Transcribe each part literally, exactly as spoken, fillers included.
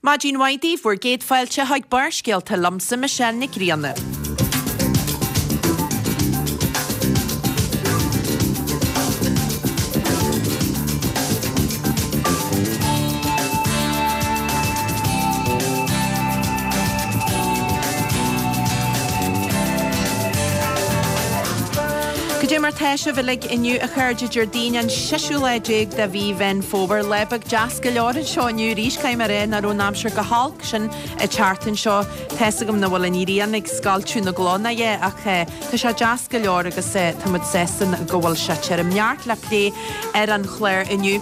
Maidin mhaith daoibh, bhur gcéad fáilte chuig Barrscéalta liomsa Michelle Nic Grianna. Cad é mar tá sibh uilig inniu a chairde Déardaoin an seisiú lá déag de mhí Mheán Fómhair. Lá beag deas go leor anseo inniu arís caithfidh mé a rá nach raibh an aimsir go holc sin an tseachtain seo. Tá's agam nach bhfuil an ghrian ag scoilteadh na gcloch ná é ach tá sé deas go leor agus tá muid sásta go bhfuil sé tirim. Neart le plé ar an chlár inniu.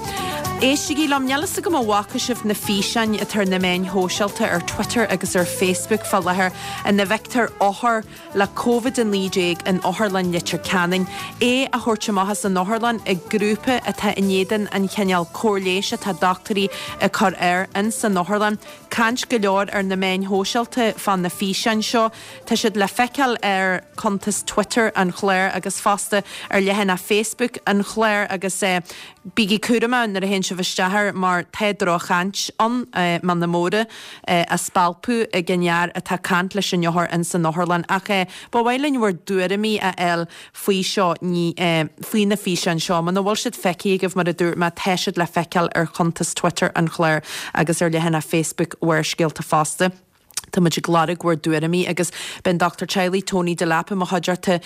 Éistigí liom, níl fhios agam an bhfaca sibh na físeáin atá ar na meáin shóisialta ar Twitter agus ar Facebook fá láthair ina bhfeictear othar le Covid a naoi déag in Otharlann Leitir Ceanainn, é a thabhairt amach as an otharlann ag grúpa atá in éadan an chineál cóir leighis atá dochtúirí ag cur air in san otharlann. Caint go leor ar na meáin shóisialta fá na físeáin seo. Tá siad le feiceáil ar chuntas Twitter an chláir agus fosta ar leathanach Facebook an chláir agus bígí cúramach nuair a théann sibh isteach air mar tá droch-chaint ann, mana móra á spalpadh ag an fhear atá ag caint leis an othar in san otharlann. Ach ba mhaith linn bhur dtuairimí a fháil faoi seo, ní, faoi na físeáin seo. Muna bhfuil siad feicthe agaibh, mar a dúirt mé, tá siad le feiceáil ar chuntas Twitter an chláir agus ar leathanach Facebook Bharrscéalta fosta. Tá muid ag lorg bhur dtuairimí agus beidh an dochtúir teaghlaigh Tony Delap i mo chuideachta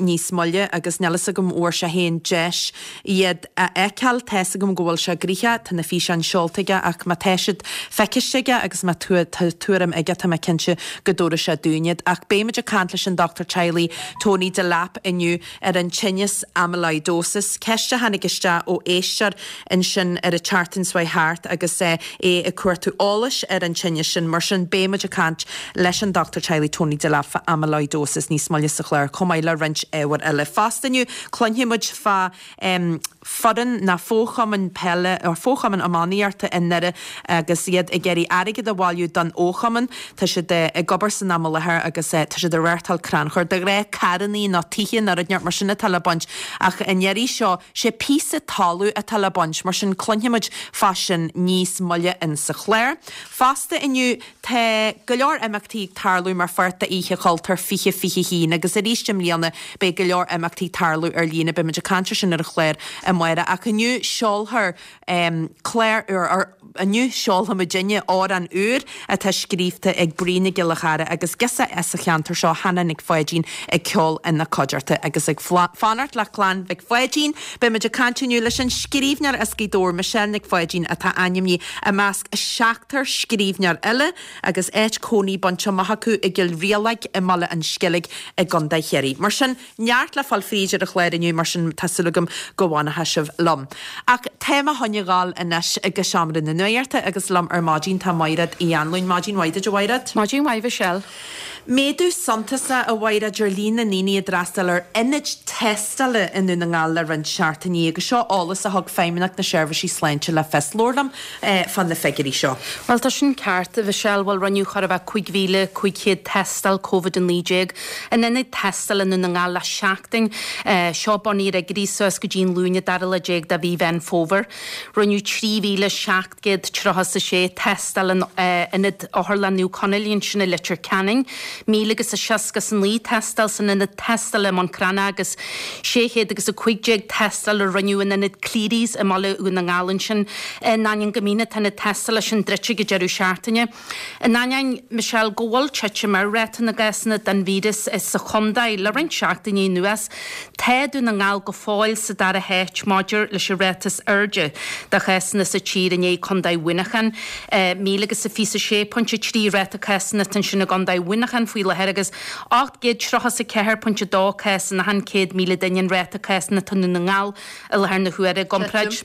níos moille agus níl fhios agam an bhfuair sé féin deis iad a fheiceáil. Tá's agam go bhfuil sé gnoitheach, tá na físeáin seolta aige ach má tá siad feiciste aige agus má tá tuairim aige tá mé cinnte go dtabharfaidh sé dúinn iad. Ach beidh muid ag caint leis an dochtúir teaghlaigh Tony Delap inniu ar an tinneas amyloidosis, ceist a tháinig isteach ó éisteoir ansin ar an tseachtain seo thart agus é ag cuartú eolais ar an tinneas sin. Mar sin beidh muid ag caint leis an dochtúir teaghlaigh Tony Delap fá amyloidosis níos moille sa chlár chomh maith le roinnt ábhair eile. Fosta inniu cluinfidh muid fá foireann ná fo-chumann peile or fo-chumann iománaíochta i nDoire agus iad ag iarraidh airgead a bhailiú don fho-chumann. Tá siad ag obair san am i láthair agus tá siad ag reáchtáil crannchur. De ghnáth carrannaí nó tithe nó rud inteacht mar sin atá le baint ach an iarraidh seo sé píosa talamh atá le baint mar sin cluinfidh muid fá sin níos moille in sa chlár. Fosta inniu tá go leor imeachtaí ag tarlú mar pháirt de Oíche Chultúir fiche fiche haon agus arís i mbliana beidh go leor imeachtaí ag tarlú ar líne. Beidh muid ag caint ar sin ar an chlár amárach ach inniu seolfar clár úr, or inniu seolfaidh muidinne amhrán úr atá scríofa ag Bríd Nic Giolla Chara agus girseach as an cheantar seo, Hannah Nic Pháidín ag ceol ina cuideachta agus ag fanacht le clann Mhic Pháidín. Beidh muid ag caint inniu leis an scríbhneoir as Gaoth Dobhair, Michelle Nic Pháidín atá ainmnithe i measc seachtar scríbhneoir eile agus áit cónaí bainte amach acu i gCill Rialaig i mBaile an Sceilg i gContae Chiarraí. Mar sin, neart le fáil fríd ar an chlár inniu, mar sin tá súil agam go bhfanfaidh sibh liom. Ach tá mé chun a ghabháil anois go seomra na nuachta agus liom ar maidin tá Maighread Uí Anluain. Maidin mhaith duit, a Mhaighread. Maidin mhaith, Michelle. Méadú suntasach, a Mhaighread, ar líon na ndaoine a d'fhreastail ar ionaid tástála i nDún na nGall le roinnt seachtainí agus seo eolas a thug Feidhmeannacht na Seirbhísí Sláinte le fios. Labhair liom fá na figiúirí seo. Bhuel, tá sin ceart, a Mhichelle. Bhuel, rinneadh chóir a bheith cúig mhíle cúig chéad tástáil Covid a naoi déag in ionaid tástála i nDún na nGall le seachtain. Seo bunaithe ar fhigiúirí suas go dtí an Luan an dara lá déag de mhí Mheán Fómhair. Rinneadh trí mhíle seacht gcéad tríocha is a sé tástáil in ionad Otharlann Naomh Conaill ansin i Leitir Ceanainn, míle agus a seasca is a naoi tástáil san ionad tástála i mBun Cranncha agus sé chéad agus a cúig déag tástáil a rinneadh in ionad Clerys i mBaile Dhún na nGall ansin. In ainneoin go mbíonn na hionaid tástála sin druidte ag an deireadh seachtaine. In ainneoin, Michelle, go bhfuil titim ar ráta na gcásanna den víreas sa chontae le roinnt seachtainí anuas, tá Dún na nGall go fóill sa dara háit maidir leis an ráta is airde de chásanna sa tír i ndiaidh Contae Mhuineacháin. Míle agus a fiche sé pointe trí ráta cásanna atá ansin i gContae Mhuineacháin faoi láthair agus ocht gcéad tríocha is a ceathair pointe dó cás in achan céad míle duine an ráta cásanna atá i nDún na nGall i láthair na huaire i gcomparáid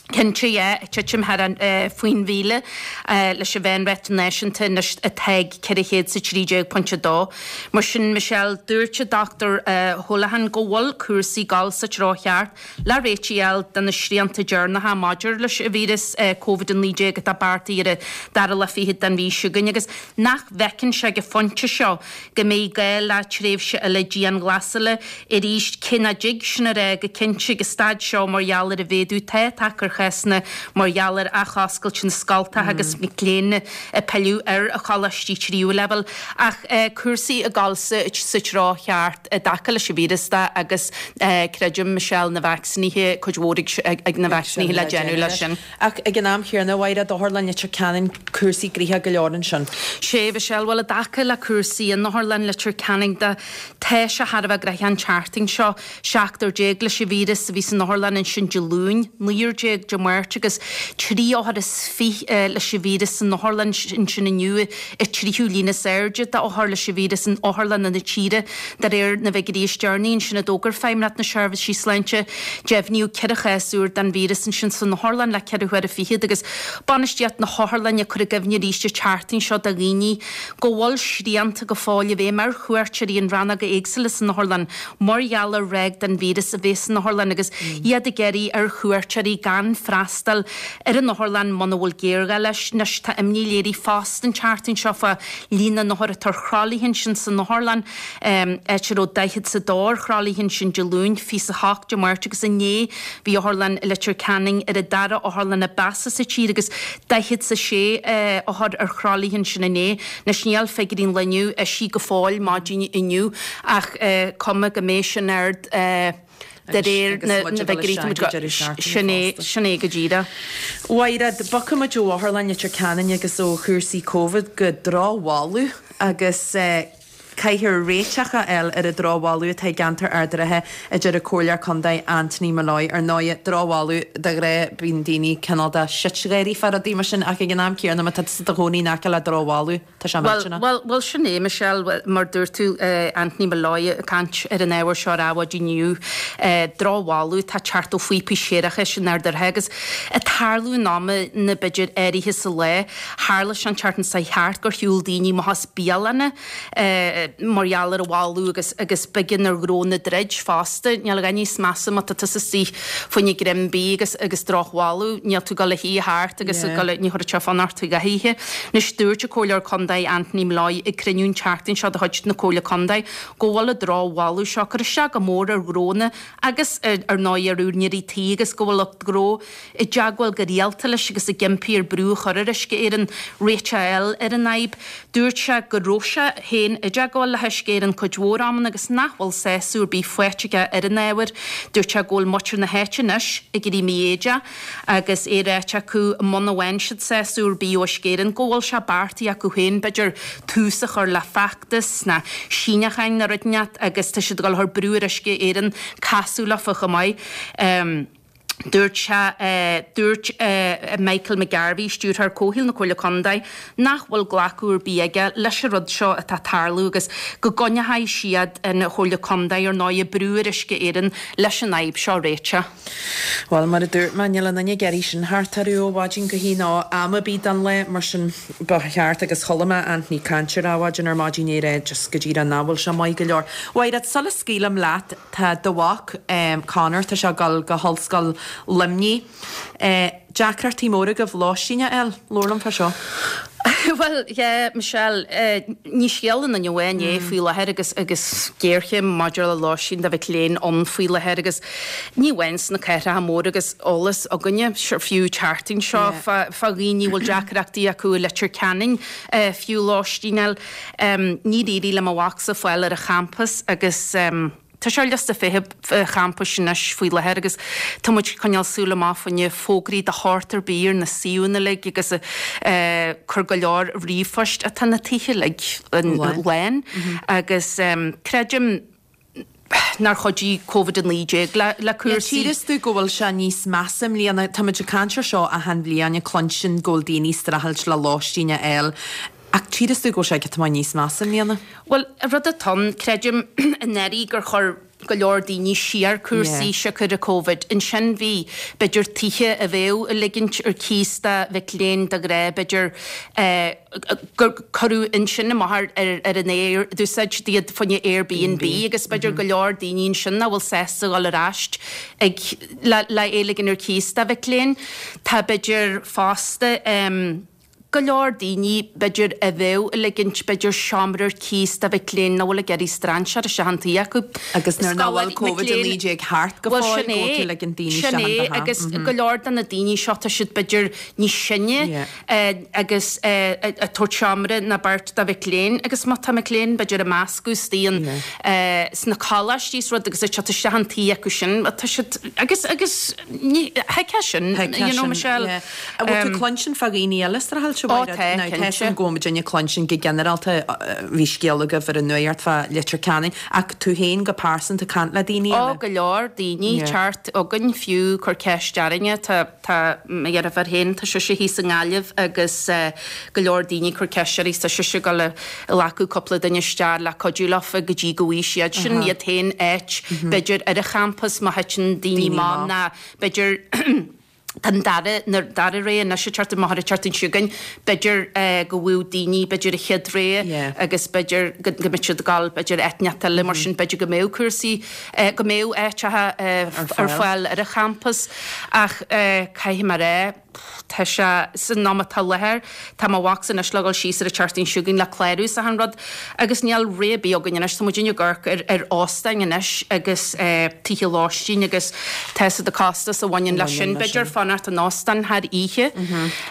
Cinnte, yeah, titim thar an faoin mhíle leis an mheánráta náisiúnta anois atá ag ceithre chéad is a trí déag pointe a dó. Mar sin, Michelle, dúirt an Dochtúir Holohan go bhfuil cúrsaí ag dul sa treo cheart le réitigh a fháil do na srianta deireanacha maidir leis an víreas Covid a naoi déag atá beartaithe ar an dara lá fichead den mhí seo chugainn agus nach bhfeiceann sé ag an phointe seo go mbeidh gá le tréimhse eile dianghlasála arís, cé nach dtig sin a rá go cinnte ag an staid seo mar gheall ar an mhéadú atá tagtha ar chásanna mar gheall ar athoscailt na scoltacha agus mic léinn ag pilleadh ar a choláistí tríú leibhéal ach cúrsaí ag dul sa treo cheart i dtaca leis an víreas de agus creidim Michelle na vacsaínithe cuid mhór ag na vacsaínithe le déanamh leis sin. Ach ag an am chéanna, a Mhaighread, Otharlann Leitir Ceanainn, cúrsaí gnoitheach go leor ansin. Sea, Michelle, bhuel i dtaca le cúrsaí in Otharlann Leitir Ceanainn de, tá sé thar a bheith gnoitheach an tseachtain seo. Seachtar déag leis an víreas a bhí san otharlann ansin Dé Luain, naonúr déag Dé Máirt agus trí othar is fiche leis an víreas san otharlann ansin inniu, an tríú líon is airde d'othair leis an víreas in otharlanna na tíre de réir na bhfigiúirí is deireanaí ansin a d'fhógair Feidhmeannacht na Seirbhísí Sláinte. Deimhníodh ceithre chás úr den víreas ansin san otharlann le ceithre huaire fichead agus bainistíocht na hotharlainne ag cur i gcuimhne arís an tseachtain seo do dhaoine go bhfuil srianta go fóill i bhfeidhm ar chuairteoirí in rannóga éagsúla san otharlann mar gheall ar ráig den víreas a bheith san otharlann agus iad ag iarraidh ar chuairteoirí gan freastal ar an otharlann muna bhfuil géarghá leis. Anois tá imní léirithe fosta an tseachtain seo fá líon na n-othar atá ar thralaithe ansin san otharlann, áit a raibh daichead 's a dó ar thralaithe ansin Dé Luain, fiche 's a hocht Dé Máirt agus inné bhí Otharlann Leitir Ceanainn ar an dara otharlann ab mheasa sa tír agus daichead 's a sé othar ar thralaithe ansin inné. Anois níl figiúirí an lae inniu eisithe go fóill maidin inniu ach cuma go mbeidh sin ard de réir na bhfigiúirí tá muid go sin é sin é go díreach. A Mhaighread, bogfaidh muid ó Otharlann Leitir Ceanainn agus ó chúrsaí Covid go drochbholadh agus caithfear réiteach a fháil ar an drochbholadh atá i gceantar Ard an Rátha, a deir an Comhairleoir Contae Anthony Molloy. Ar ndóigh, drochbholadh, de ghnáth bíonn daoine cineál de sitgháirí fá rudaí mar sin ach ag an am céanna má tá tusa i do chónaí in aice le drochbholadh, tá sé millteanach. Bhuel, bhuel, sin é, Michelle, mar dúirt tú, Anthony Molloy ag caint ar an ábhar seo ar Adhmhaidin inniu, drochbholadh atá ag teacht ó phíopaí séarachais in Ard an Rátha agus ag tarlú in amanna b'fhéidir áirithe sa lá. Tharla sé an tseachtain seo thart gur shiúil daoine amach as bialanna mar gheall ar an bholadh agus agus b'éigean ar ghnónna druid fosta. Níl a dhath níos measa má tá tusa istigh fá choinne greim bídh agus agus drochbholadh, níl tú ag dul a shuí thart agus ag dul ní chuirfeadh sé fonn ort a dhath a ithe. Anois dúirt an Comhairleoir Contae Anthony Molloy ag cruinniú an tseachtain seo de chuid na Comhairle Contae go bhfuil an drochbholadh seo ag cur isteach go mór ar ghnónna agus ar ndóigh ar úinéirí tí agus go bhfuil lucht gnó i dteagmháil go rialta leis agus ag impí air brú a chur ar Uisce Éireann réiteach a fháil ar an fhadhb. Dúirt sé go raibh sé féin i dteagmháil le hUisce Éireann cuid mhór amanna agus nach bhfuil sásamh ar bith faighte aige ar an ábhar. Dúirt sé go bhfuil muintir na háite anois ag éirí mífhoighdeach agus é ráite acu muna bhfaigheann siad sásamh ar bith ó Uisce Éireann go bhfuil sé beartaithe acu féin b'fhéidir tús a chur le feachtas nó síneacháin nó rud inteacht agus tá siad ag dul a chur brú ar Uisce Éireann casadh leofa chomh maith. Dúirt sé, dúirt Michael McGarvey, Stiúrthóir Comhshaoil na Comhairle Contae, nach bhfuil glacadh ar bith aige leis an rud seo atá ag tarlú agus go gcoinneoidh siad an Chomhairle Contae ar ndóigh ag brú ar Uisce Éireann leis an fhadhb seo a réiteach. Bhuel, mar a dúirt mé, níl aon duine ag iarraidh sin thart orthu ó mhaidin go hoíche nó am ar bith den lá, mar sin ba cheart, agus chuala mé Anthony ag caint ar Adhmhaidin ar maidin é rá just go díreach nach bhfuil sé maith go leor. A Mhaighread, sula scaoilim leat, tá do mhac, Conor, tá sé ag dul go hOllscoil Luimnigh. Deacrachtaí móra agaibh lóistín a fháil? Labhair liom fá seo. Bhuel, yeah, Michelle, ní scéal aon duine amháin é faoi láthair agus agus géarchéim maidir le lóistín do mhic léinn ann faoi láthair agus ní amháin sna cathracha móra agus eolas againne, fiú an tseachtain seo fá fá dhaoine a bhfuil deacrachtaí acu i Leitir Ceanainn fiú lóistín a fháil. Níor éirigh le mo mhacsa fáil ar an champas agus tá sé ar liosta feithimh champais anois faoi láthair agus tá muid ag coinneáil súil amach fá choinne fógraí de shórt ar bith ar na suíomhanna uilig agus ag cur go leor ríomhphoist atá na tithe uilig lán agus creidim nár chuidigh Covid a naoi déag le cúrsaí. Tchíreas tú go bhfuil sé níos measa i mbliana. Tá muid ag caint ar seo achan bhliain, ag cluinstin go bhfuil daoine ag streachailt le lóistín a fháil. Ach tchíreas tú go bhfuil sé giota maith níos measa i mbliana. Bhuel, an rud atá ann, creidim anuraidh gur chuir go leor daoine siar cúrsaí siocair an Covid. Ansin bhí, b'fhéidir, tithe a bheadh ag ligint ar cíos do mhic léinn de ghnáth, b'fhéidir, gur cuireadh ansin amach ar ar an aer, d'úsáid siad iad fá choinne Airbnb agus b'fhéidir go leor daoine ansin nach bhfuil sásta dhul ar ais ag le le é a ligean ar cíos do mhic léinn. Tá b'fhéidir fosta, go leor daoine b'fhéidir a bheadh ag ligint b'fhéidir seomra ar cíos do mhic léinn nach bhfuil ag iarraidh strainséir isteach an tí acu. Agus nuair nach bhfuil Covid a naoi déag thart go fóill go bhfuil tú ag ligint daoine isteach an teach. Agus go leor de na daoine seo tá siad b'fhéidir níos sine agus ag tabhairt seomra nó beirt do mhic léinn agus má tá mic léinn b'fhéidir ag meascadh istigh sna coláistí is rud agus ag teacht isteach an tí acu sin tá siad agus agus thuigfeá sin you know Michelle. An bhfuil tú ag cluinstin fá dhaoine eile sa Ó tá, cinnte. Go bhfuil muidinne ag cluinstin go ginearálta, bhí scéal agaibh ar an nuacht fá Leitir Ceanainn, ach tú féin go pearsanta ag caint le daoine eile? Ó, go leor daoine, teacht chugainn fiú cur ceist orainne, tá tá mo dheirfiúr féin, tá sise thíos i nGaillimh agus go leor daoine cur ceist uirthi, tá sise ag dul a ghlacadh cúpla duine isteach le cuidiú leofa go dtí go bhfaighidh siad sin iad féin áit, b'fhéidir ar an champas má thiteann daoine amach nó b'fhéidir Tá an dara, na dara rogha anois ag teacht amach an tseachtain seo chugainn. B'fhéidir go bhfuil daoine, b'fhéidir an chéad rogha agus b'fhéidir go mbeidh siad ag dul, b'fhéidir áit inteacht eile mar sin, b'fhéidir go mbeadh cúrsaí, go mbeadh áiteacha ar fáil ar an champas. Ach caithfidh mé a rá, tá sé san am atá i láthair, tá mo mhacsa anois le dhul síos ar an tseachtain seo chugainn le clárú is achan rud agus níl rogha ar bith againn anois, tá muidinne ag amharc ar ar óstáin anois agus tithe lóistín agus tá 'fhios a'd an costas a bhaineann leis sin, b'fhéidir fanacht in óstán thar oíche.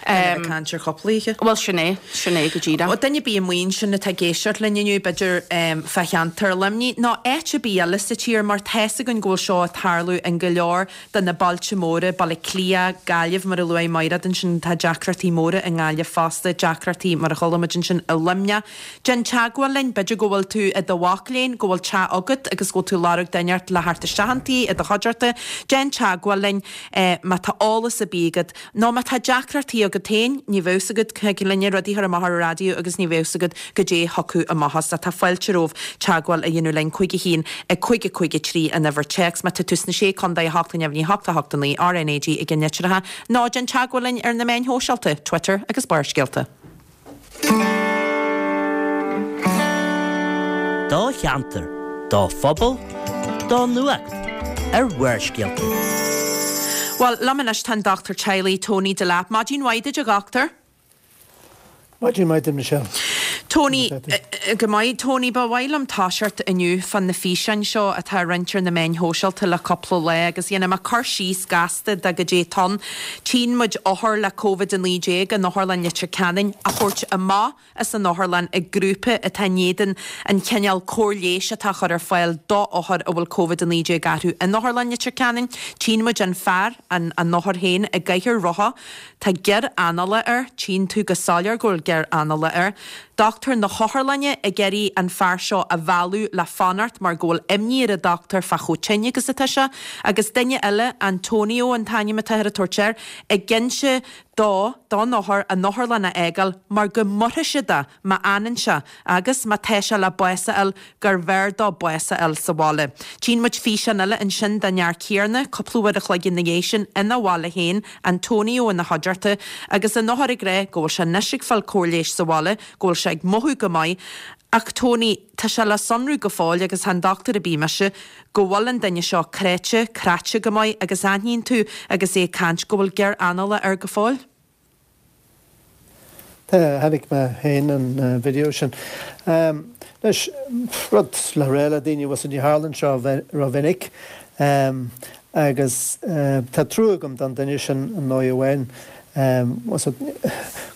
Ag caint ar chúpla oíche. Bhuel sin é, sin é go díreach. Bhuel duine ar bith amuigh ansin atá ag éisteacht linn inniu, b'fhéidir fá cheantar Luimnigh nó áit ar bith eile sa tír mar tá 'fhios againn go bhfuil seo ag tarlú in go leor de na bailte móra, Baile Átha Cliath, Gaillimh mar a luaigh Mairéad ansin, tá deacrachtaí móra i nGaillimh fosta, deacrachtaí mar a chuala muid ansin i Luimneach. Déan teagmháil linn, b'fhéidir go bhfuil tú i do mhac léinn, go bhfuil teach agat agus go bhfuil tú ag lorg duine inteacht le theacht isteach an tí i do chuideachta, déan teagmháil linn má tá eolas ar bith agat nó má tá deacrachtaí agat féin, ní bheadh 'fhios agat, thig linne rudaí a chur amach ar an raidió agus ní bheadh 'fhios agat goidé a thiocfadh amach as. Tá fáilte romhat teagmháil a dhéanamh linn, cúig a haon, a cúig a cúig a trí an uimhir téacs má tá tú sna Sé Contae, a hocht a neamhní, a hocht a hocht a naoi, RnaG ag an litreacha, nó déan teagmháil linn ar na meáin shóisialta, Twitter agus Barrscéalta. Do cheantar, do phobal, do nuacht ar Bharrscéalta. Bhuel, liom anois tá an dochtúir teaghlaigh Tony Delap. Maidin mhaith duit, a dhochtúir. Maidin mhaith duit, Michelle. Tony, Go maith. Tony, ba mhaith liom toiseacht inniu fá na físeáin seo atá á roinnt ar na meáin shóisialta le cúpla lá agus dhéanfaidh mé cur síos gasta de goidé atá ann. Tchíonn muid othar le Covid a naoi déag in Otharlann Leitir Ceanainn á thabhairt amach as an otharlann ag grúpa atá in éadan an chineál cóir leighis atá á chur ar fáil d'othair a bhfuil Covid a naoi déag orthu in Otharlann Leitir Ceanainn. Tchíonn muid an fear, an an othar féin, i gcathaoir rotha. Tá gior anála air, tchíonn tú go soiléir go bhfuil gior anála air. Dochtúir na hotharlainne ag iarraidh an fear seo a mhealladh le fanacht mar go bhfuil imní ar an dochtúir fá chomh tinn agus atá sé. Agus duine eile, Antonio an t-ainm atáthar ag tabhairt air, ag inse dó, don othar, an otharlann a fhágáil mar go maróidh siad é má fhanann sé agus má tá sé le bás a fháil gurbh fhearr dó bás a fháil sa bhaile. Tchíonn muid físeán eile ansin den fhear céanna, cúpla uair a chloig ina dhiaidh sin, ina bhaile féin, Antonio ina chuideachta, agus an othar ag rá go bhfuil sé anois ag fáil cóir leighis sa bhaile, go bhfuil sé ag mothú go maith. Ach Tony, tá sé le sonrú go fóill, agus chan dochtúir ar bith mise, go bhfuil an duine seo cráite, craite go maith agus aithníonn tú agus é ag caint go bhfuil gior anála air go fóill. Tá, chonaic mé féin an video sin. Anois, rud le rá le daoine, bhfuil 's a'd, ní tharlaíonn seo rómhinic agus tá trua agam don duine sin i ndóigh amháin. Bhfuil 's a'd,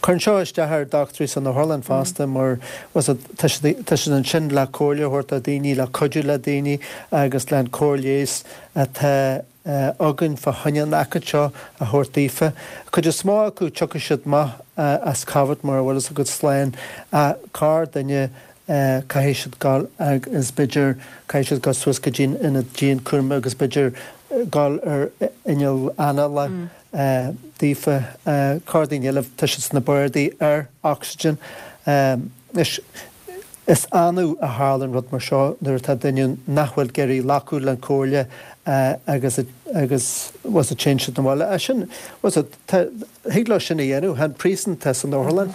cuireann seo isteach ar dochtúirí san otharlann fosta mar, bhfuil 's a'd, tá siad, tá siad ansin le comhairle a thabhairt do dhaoine, le cuidiú le daoine agus le an cóir leighis atá againn fá choinne an aicíd seo a thabhairt daofa. Cuid is mó acu tiocfaidh siad amach as Covid mar a bhfuil 'fhios agat slán ach corr duine caithfidh siad dul agus b'fhéidir caithfidh siad dul suas go dtí an ionad dianchúraim agus b'fhéidir dul ar inneall anála daofa. Corr daoine eile tá siad sna bardaí ar oxygen. Anois is annamh a tharlaíonn rud mar seo nuair atá duine nach bhfuil ag iarraidh glacadh le comhairle agus agus bhfuil 's a'd téann siad 'na bhaile. Ach sin, bhfuil 's a'd, tá, thig leo sin a dhéanamh, tá an príosún atá san otharlann,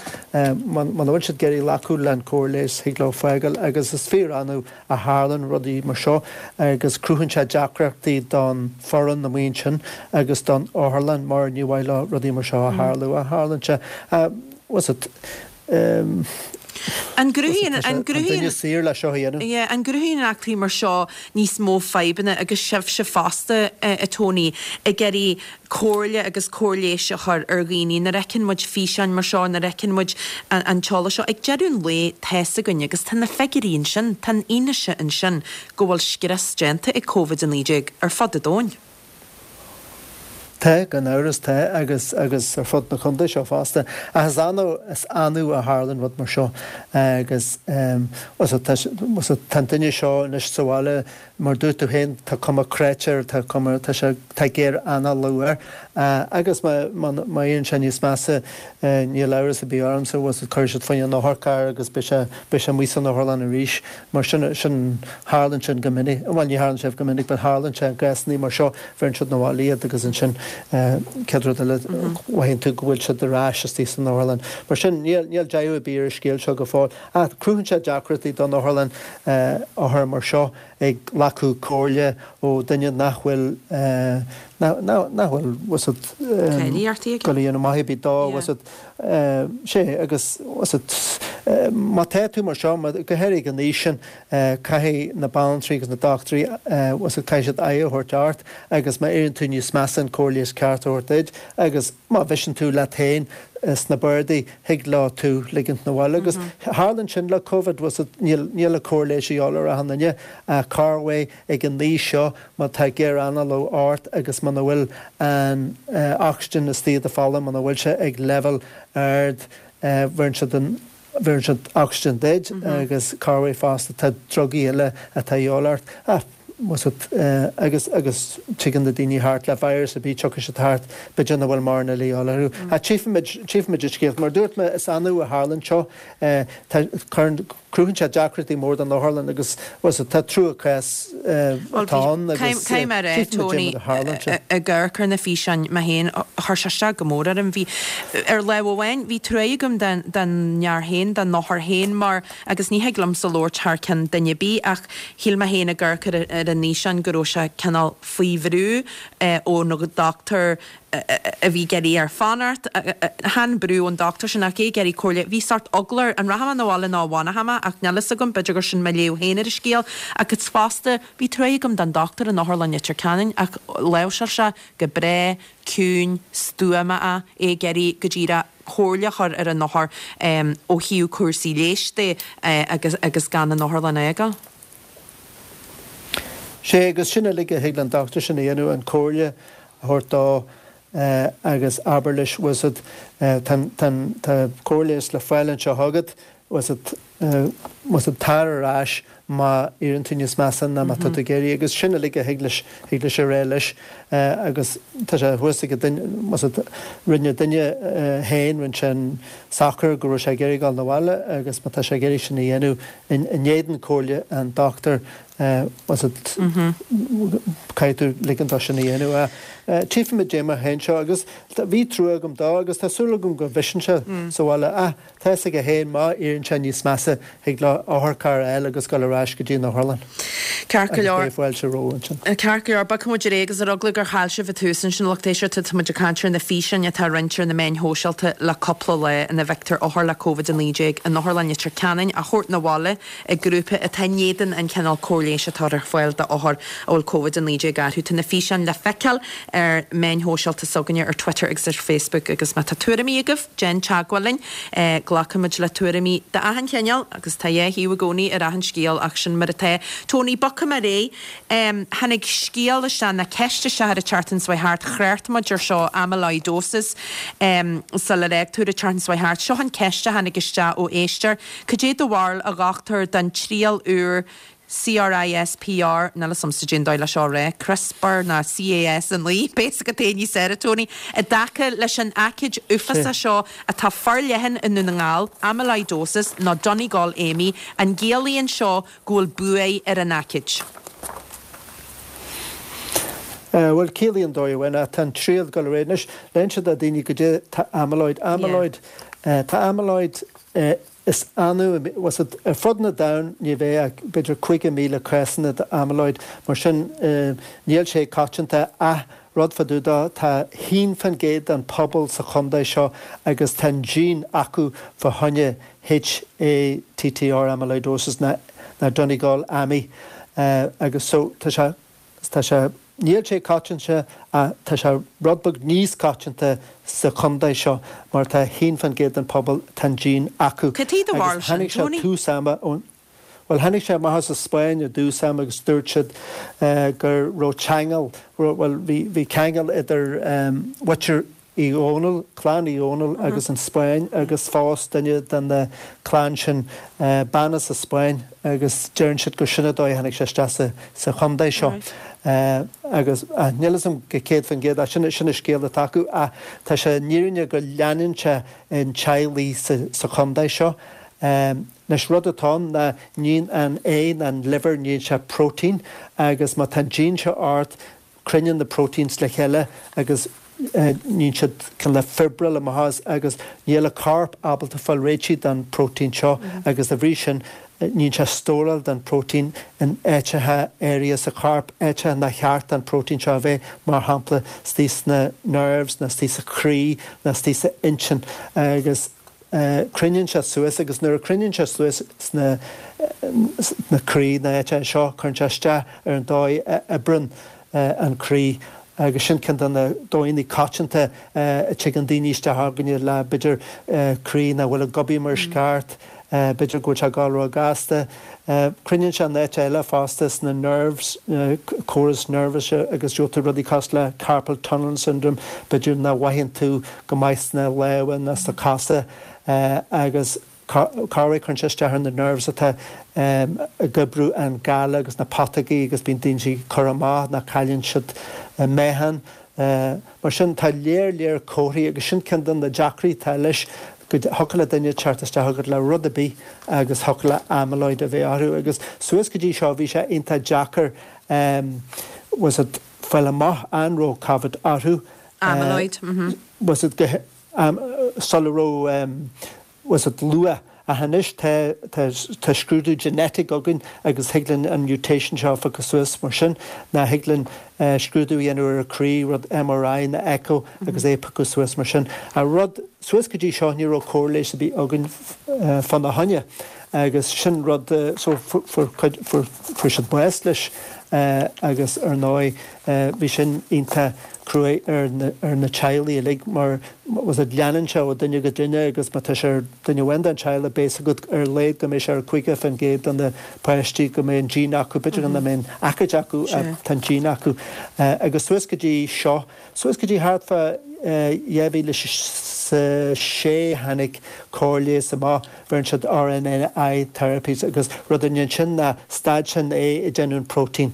muna bhfuil siad ag iarraidh glacadh le an cóir leighis thig leo fágáil agus is fíor annamh a tharlaíonn rudaí mar seo agus cruthaíonn sé deacrachtaí don foireann amuigh ansin agus don otharlann mar ní mhaith leo rudaí mar seo a tharlú ach tharlaíonn sé. Bhfuil what's it, An gcruthaíonn an gcruthaíonn saor le seo a dhéanamh. Yeah, an gcruthaíonn eachtraí mar seo níos mó fadhbanna agus sibhse fosta, a Tony, ag iarraidh comhairle agus cóir leighis a chur ar dhaoine nuair a fheiceann muid físeáin mar seo, nuair a fheiceann muid an t-eolas seo. Ag deireadh an lae, tá's againn agus tá na figiúirí ansin, tá an fhianaise ansin go bhfuil scrios déanta ag Covid a naoi déag ar fud an domhain. Tá, gan amhras, tá, agus agus ar fud na contae seo fosta. Ach is annamh, is annamh a tharlann rud mar seo agus tá an duine seo anois sa bhaile, mar dúirt tú féin, tá cuma cráite air, tá cuma, tá sé, tá géar-análú air. Agus má, má, má éiríonn sé níos measa, níl amhras ar bith ormsa, cuirfidh siad fá choinne an otharcharr agus beidh sé, beidh sé amuigh san otharlann arís. Mar sin, sin, tharlann sin go minic, bhuel ní tharlann sé go minic but tharlann sé i gcásanna mar seo, bheireann siad 'na bhaile iad agus ansin céad rud eile mothaíonn tú go bhfuil siad ar ais istigh san otharlann. Mar sin, níl, níl deireadh ar bith ar an scéal seo go fóill. Ach cruthaíonn sé deacrachtaí don otharlann othar mar seo ag glacadh comhairle ó duine nach bhfuil, nach, nach bhfuil, what's it, ag dul a dhéanamh maith ar bith dó, what's it, sé, agus, what's it, má tá tú mar seo, go háirithe ag an aois sin, caithfidh na banaltraí agus na dochtúirí, what's it, caithfidh siad aghaidh a thabhairt ort agus má éiríonn tú níos measa an cóir leighis ceart a thabhairt duit agus má bhriseann tú leat féin sna bardaí, thig leo tú ligint 'na bhaile. Agus tharlann sin le Covid, what's it, níl, níl an cóir leighis a dhíobháil ar achan duine ach corruair ag an aois seo má tá géar-análú ort agus muna bhfuil an ocsaigin istigh i do pholla, muna bhfuil sé ag leibhéal ard, bheireann siad an, bheireann siad ocsaigin duit agus corruair fosta tá drugaí eile atá a dhíobháil ort. Ach, what's it, agus, agus tigeann na daoine thart le virus ar bith, tiocfaidh siad thart, b'fhéidir nach bhfuil mórán eile a dhíobháil orthu. Ach tchífimid, tchífimid an scéal. Mar a dúirt mé, is annamh a tharlann seo. Tá, cuireann, cruthaíonn sé deacrachtaí mór don otharlann agus, what's it, tá trua cás atá ann agus Caithfidh mé a rá, Tony, ag amharc ar na físeáin mé féin, chuir sé isteach go mór orm. Bhí, ar lámh amháin, bhí truaigh agam don fhear féin, don othar féin mar, agus ní thig liomsa labhairt thar ceann duine ar bith, ach shíl mé féin ag amharc ar an fhíseán go raibh sé cineál faoi bhrú ón dochtúir a bhí ag iarraidh air fanacht. Chan brú ón dochtúir sin ach é ag iarraidh comhairle. Bhí sórt eagla air, an rachaidh mé 'na bhaile nó an bhfanfaidh mé ach níl fhios agam, b'fhéidir gur sin mo léamh féin ar an scéal. Agus fosta, bhí truaigh agam don dochtúir in Otharlann Leitir Ceanainn ach láimhseáil sé go breá, ciúin, stuama é, é ag iarraidh go díreach comhairle a chur ar an othar ó thaobh cúrsaí leighis de agus agus gan an otharlann a fhágáil. Sé agus sin uilig a thig leis an dochtúir sin a dhéanamh, an comhairle a thabhairt dó agus abair leis, bhfuil 's a'd, tá tá cóir leighis le fáil anseo agat, bhfuil 's a'd, bhfuil 's a'd, tar ar ais má éiríonn tú níos measa ná má tá tú ag iarraidh agus sin uilig a thig leis, thig leis a rá leis agus tá sé thuas ag an duine, bhfuil 's a'd, rinne an duine féin, rinne sé an socair go raibh sé ag iarraidh dul 'na bhaile agus má tá sé ag iarraidh sin a dhéanamh in éadan comhairle an dochtúir, bhfuil 's a'd, caithfidh tú ligean dó sin a dhéanamh. Tchífimid dé mar a théann seo agus bhí trua agam dó agus tá súil agam go bhriseann sé sa bhaile ach tá fhios aige féin má éiríonn sé níos measa thig leo otharcharr a fháil agus dul ar ais go dtí an otharlann. Ceart go Agus leor. beidh fáilte rompu ansin. Ceart go leor, bogfaidh muid ar aghaidh agus ar eagla gur chaill sibh an tús ansin, lucht éisteachta, tá muid ag caint ar na físeáin atá á roinnt ar na meáin shóisialta le cúpla lá ina bhfeictear othar le Covid a naoi déag in Otharlann Leitir Ceanainn á thabhairt 'na bhaile ag grúpa atá in éadan an chineál cóir leighis atá ar fáil d'othair a bhfuil Covid a naoi déag orthu. Tá na físeáin le feiceáil ar meáin shóisialta s'againne ar Twitter agus ar Facebook agus má tá tuairimí agaibh, déan teagmháil linn. Glacaimid le tuairimí d'achan chineál agus tá dhá thaobh i gcónaí ar achan scéal ach sin mar atá. Tony, bogfaidh mé ar aghaidh. Tháinig scéal isteach, nó ceist isteach ar an tseachtain seo thart, thrácht muid ar seo, amyloidosis, sular fhág tú ar an tseachtain seo thart. Seo an ceist a tháinig isteach ó éisteoir, Cad é do bharúil, a dhochtúir, den triail úr CRISPR, níl fhios a'msa cén dóigh le seo a rá, CRISPR ná C A S a naoi, beidh fhios agat é níos fearr, a Tony, i dtaca leis an aicíd uafásach seo atá forleathan i nDún na nGall, amyloidosis nó Donegal AMI, an gciallaíonn seo go bhfuil buaidh ar an aicíd? Bhuel, ciallaíonn dóigh amháin, ach tá an triail ag dul ar aghaidh anois. Le inse do daoine goidé tá amyloid. Amyloid, tá amyloid Is annamh, bhfuil a fhios agat, ar fud na domhain ní bheidh ach b'fhéidir cúig mhíle cásanna d'amyloid, mar sin níl sé coitianta ach rud fá dtaobh de, tá haon faoin gcéad den pobal sa chontae seo agus tá an gene acu fá choinne HATTR amyloidosis ná Donegal AMI agus so tá sé tá sé Níl sé coitianta ach tá sé rud beag níos coitianta sa chontae seo mar tá haon faoin gcéad den pobal, tá an gene acu. Cad é do bharúil Agus sin, tháinig sé Tony? tús ama ón, bhuel tháinig sé amach as an Spáinn i dtús ama agus dúirt siad go raibh ceangal, bhuel bhí, bhí ceangal idir mhuintir Uí Dhónaill, clann Uí Dhónaill agus an Spáinn agus phós duine den na clann sin bean as an Spáinn agus deireann siad gur sin an dóigh a tháinig sé isteach sa sa chontae seo. Agus níl fhios a'm go céad faoin gcéad ach sin sin an scéal atá acu ach tá sé an fhírinne go leanann sé in teaghlaigh sa sa chontae seo. Anois rud atá ann ná níonn an ae ná an liver níonn sé protein agus má tá an gene seo ort cruinníonn na proteins le chéile agus níonn siad cineál fibril amach as agus níl an corp ábalta fáil réitigh den protein seo agus dá bhrí sin níonn sé stóráil den protein in áiteacha áirithe sa chorp, áiteacha nár cheart don protein seo a bheith, mar shampla istigh sna nerves nó istigh sa chroí nó istigh sa intinn agus cruinníonn sé suas agus nuair a chruinníonn sé suas sna sna croí na áiteacha seo cuireann sé isteach ar an dóigh a oibreann an croí agus sin ceann de na dóigheanna coitianta a dtigeann daoine isteach chugainne le b'fhéidir croí nach bhfuil ag obair mar is ceart, b'fhéidir go bhfuil sé ag dul ró-ghasta. Cruinníonn sé in áit eile fosta sna nerves, córas nervous agus gheobhaidh tú rudaí cosúil le carpal tunnel syndrome, b'fhéidir nach mhothaíonn tú go maith sna lámha ná sna cosa agus corruair cuireann sé isteach ar na nerves atá ag oibriú an gala agus na putógaí agus bíonn daoine ag cur amach ná cailleann siad meáchan. Mar sin tá léar léar comharthaí agus sin ceann de na deacrachtaí atá leis go thiocfadh le duine teacht isteach chugat le rud ar bith agus thiocfadh le amyloid a bheith orthu agus suas go dtí seo bhí sé iontach deacair bhfuil a fhios agat fáil amach an raibh Covid orthu. Amyloid, mhm. Bhfuil a fhios agat go sula raibh bhfuil a fhios agat luath ach anois tá tá tá scrúdú genetic againn agus thig linn an mutation seo a phiocadh suas mar sin ná thig linn scrúdú a dhéanamh ar an croí, rud MRI ná echo agus é a phiocadh suas mar sin. Ach rud suas go dtí seo ní raibh cóir leighis ar bith againn fána choinne agus sin rud so fuair cuid fuair fuair siad bás leis agus ar ndóigh bhí sin iontach cruaidh ar na ar na teaghlaigh uilig mar bhfuil a fhios agat leanann sé ó duine go duine agus má tá sé ar duine amháin den teaghlach beidh a fhios agat ar a laghad go mbeidh sé ar caoga faoin gcéad de na páistí go mbeidh an gene acu b'fhéidir nach mbeidh an aicíd acu ach tá an gene acu agus suas go dtí seo suas go dtí thart fá dhá mhíle is a sé tháinig cóir leighis amach bheireann siad RNAi therapies agus rud a ndéanann sin ná stad sin é ag déanamh an protein